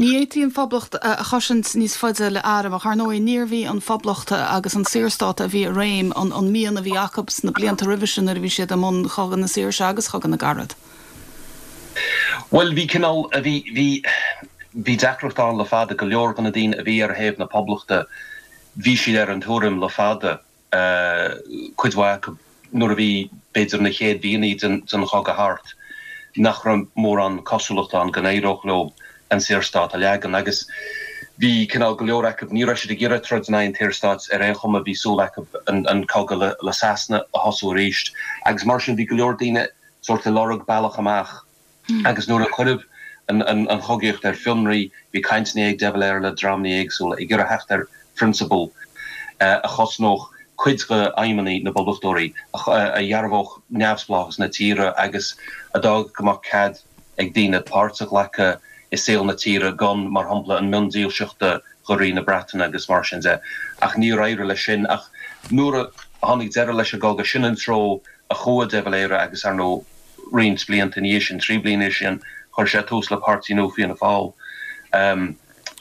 Ní fhéadfaí an Phoblacht a chosaint níos faide le hairm ach ar ndóigh níorbh í an Phoblacht agus an Saorstát a bhí i réim an mian a bhí acu sna blianta roimhe sin nuair a bhí siad i mbun Chogadh na Saoirse agus Chogadh na gCarad. Bhuel, bhí cineál, bhí, bhí, bhí deacracht ann le fada, go leor de na daoine a bhí ar thaobh na Poblachta, bhí siad ar an tuairim le fada, cuid mhaith acu, nuair a bhí, b'fhéidir, na chéad mhíonna den, den chogadh thart, nach raibh mórán cosúlacht ann go n-éireodh leo an Saorstát a leagan. Agus bhí cineál, go leor acu, ní raibh siad ag iarraidh troid in aghaidh an tSaorstáit ar aon chuma, bhí súil acu an, an cogadh le, le Sasana a thosú arís. Agus mar sin, bhí go leor daoine, sórt ag lorg bealach amach agus nuair a cuireadh an chogaíocht ar fionraí bhí cainteanna ag de Valera le dreamanna éagsúla ag iarraidh theacht ar phrionsabal a chosnódh cuid d'aidhmeanna na bPoblachtóirí, a dhearbhódh neamhspleáchas na tíre agus a d'fhágfadh go mbeadh cead ag daoine páirt a ghlacadh i saol na tíre gan, mar shampla, an mhiondílseacht do Rí na Breataine agus mar sin de. Ach níor éirigh leis sin. Ach nuair a tháinig deireadh leis an gcogadh, sin an treo a chuaigh de Valera agus, ar ndóigh, roinnt blianta ina dhiaidh sin, trí bliana ina dhiaidh sin, chuir sé tús le páirtí nua, Fianna Fáil,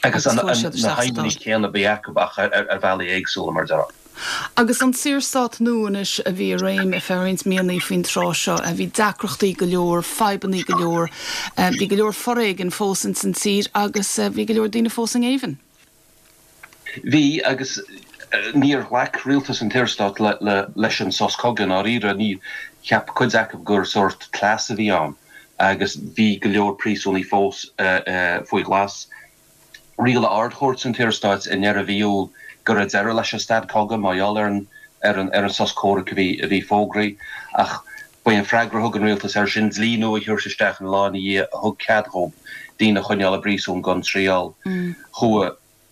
agus na haidhmeanna céanna a bhí acu ach ar bhealaí éagsúla, mar a déarfá. Agus an Saorstát nua anois a bhí i réim ar feadh roinnt míonna faoin tráth seo, bhí deacrachtaí go leor, fadhbanna go leor, bhí go leor foréigin fós ins an tír agus bhí go leor daoine fós i ngéibheann. Bhí, agus níor ghlac rialtas an tSaorstáit leis an sos cogaidh i ndáiríre. Ní, cheap cuid acu gur sórt cleas a bhí ann agus bhí go leor príosúnaigh fós faoi ghlas. Rialaigh Ard-Chúirt an tSaorstáit i ndeireadh mhí Iúil go raibh deireadh leis an stad cogaidh mar gheall ar an ar an sos comhraic a bhí a bhí fógraithe ach ba é an freagra a thug an rialtas air sin dlí nua a thabhairt isteach an lá ina dhiaidh a thug cead dhóibh daoine a choinneáil i bpríosún gan triail. Chuaigh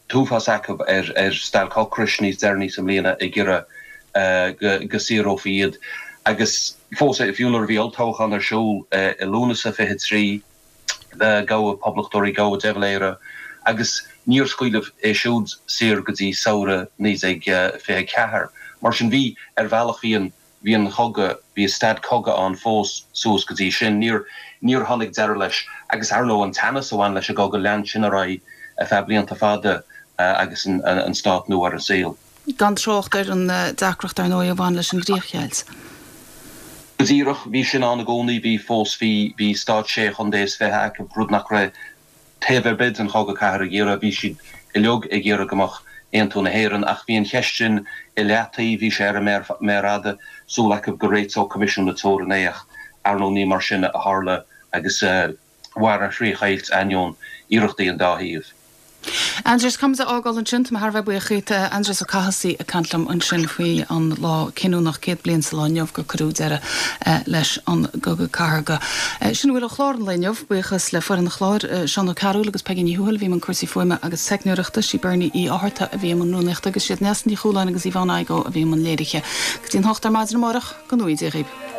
t-uafás acu ar stailc ocrais níos deireanaí sa mbliana ag iarraidh go saorófaí iad agus fós, fiú nuair a bhí olltoghchán ar siúl i Lúnasa fiche trí, gabhadh poblachtóirí, gabhadh de Valera agus níor scaoileadh é siúd saor go dtí samhradh naoi déag fiche ceathair. Mar sin bhí, ar bhealach, bhí an bhí an chogadh, bhí staid cogaidh ann fós suas go dtí sin. Níor, níor tháinig deireadh leis. Agus ar ndóigh an teannas a bhain leis an gcogadh, lean sin ar aghaidh ar feadh blianta fada agus an, an stát nua ar an saol. Gan trácht ar an deacracht ar ndóigh a bhain leis an gcríochdheighilt. Go díreach, bhí sin ann i gcónaí, bhí fós, bhí, bhí stát sé chontae is fiche acu, rud nach raibh taobh ar bith den chogadh cathartha ag iarraidh, bhí siad uilig ag iarraidh go mbeadh aontú na hÉireann ach bhí an cheist sin i leataobh, bhí sé ar an méar fhada, súil acu go réiteodh Coimisiún na Teorann é ach ar ndóigh ní mar sin a tharla agus mhair an chríochdheighilt ainneoin iarrachtaí an dá thaobh. Aindrias, caithfidh muid a fhágáil ansin, tá mé thar a bheith buíoch díot. Aindrias Ó Cathasaigh ag caint liom ansin faoi an lá cinniúnach, céad bliain sa lá inniu gur cuireadh deireadh leis an gCogadh Cathartha. Sin a bhfuil ó chlár an lae inniu. Buíochas le foireann an chláir, Seán Ó Cearúil agus Peigí Ní Thuathail a bhí i mbun cúrsaí fuaime agus teicneoireachta, sí Bernie Uí Fhátharta a bhí i mbun rúnaíochta agus siad Neasa Ní Chualáin agus Yvonne Igoe a bhí i mbun léirithe. Go dtí an hocht ar maidin amárach, go ngnóthaí Dia dhaoibh.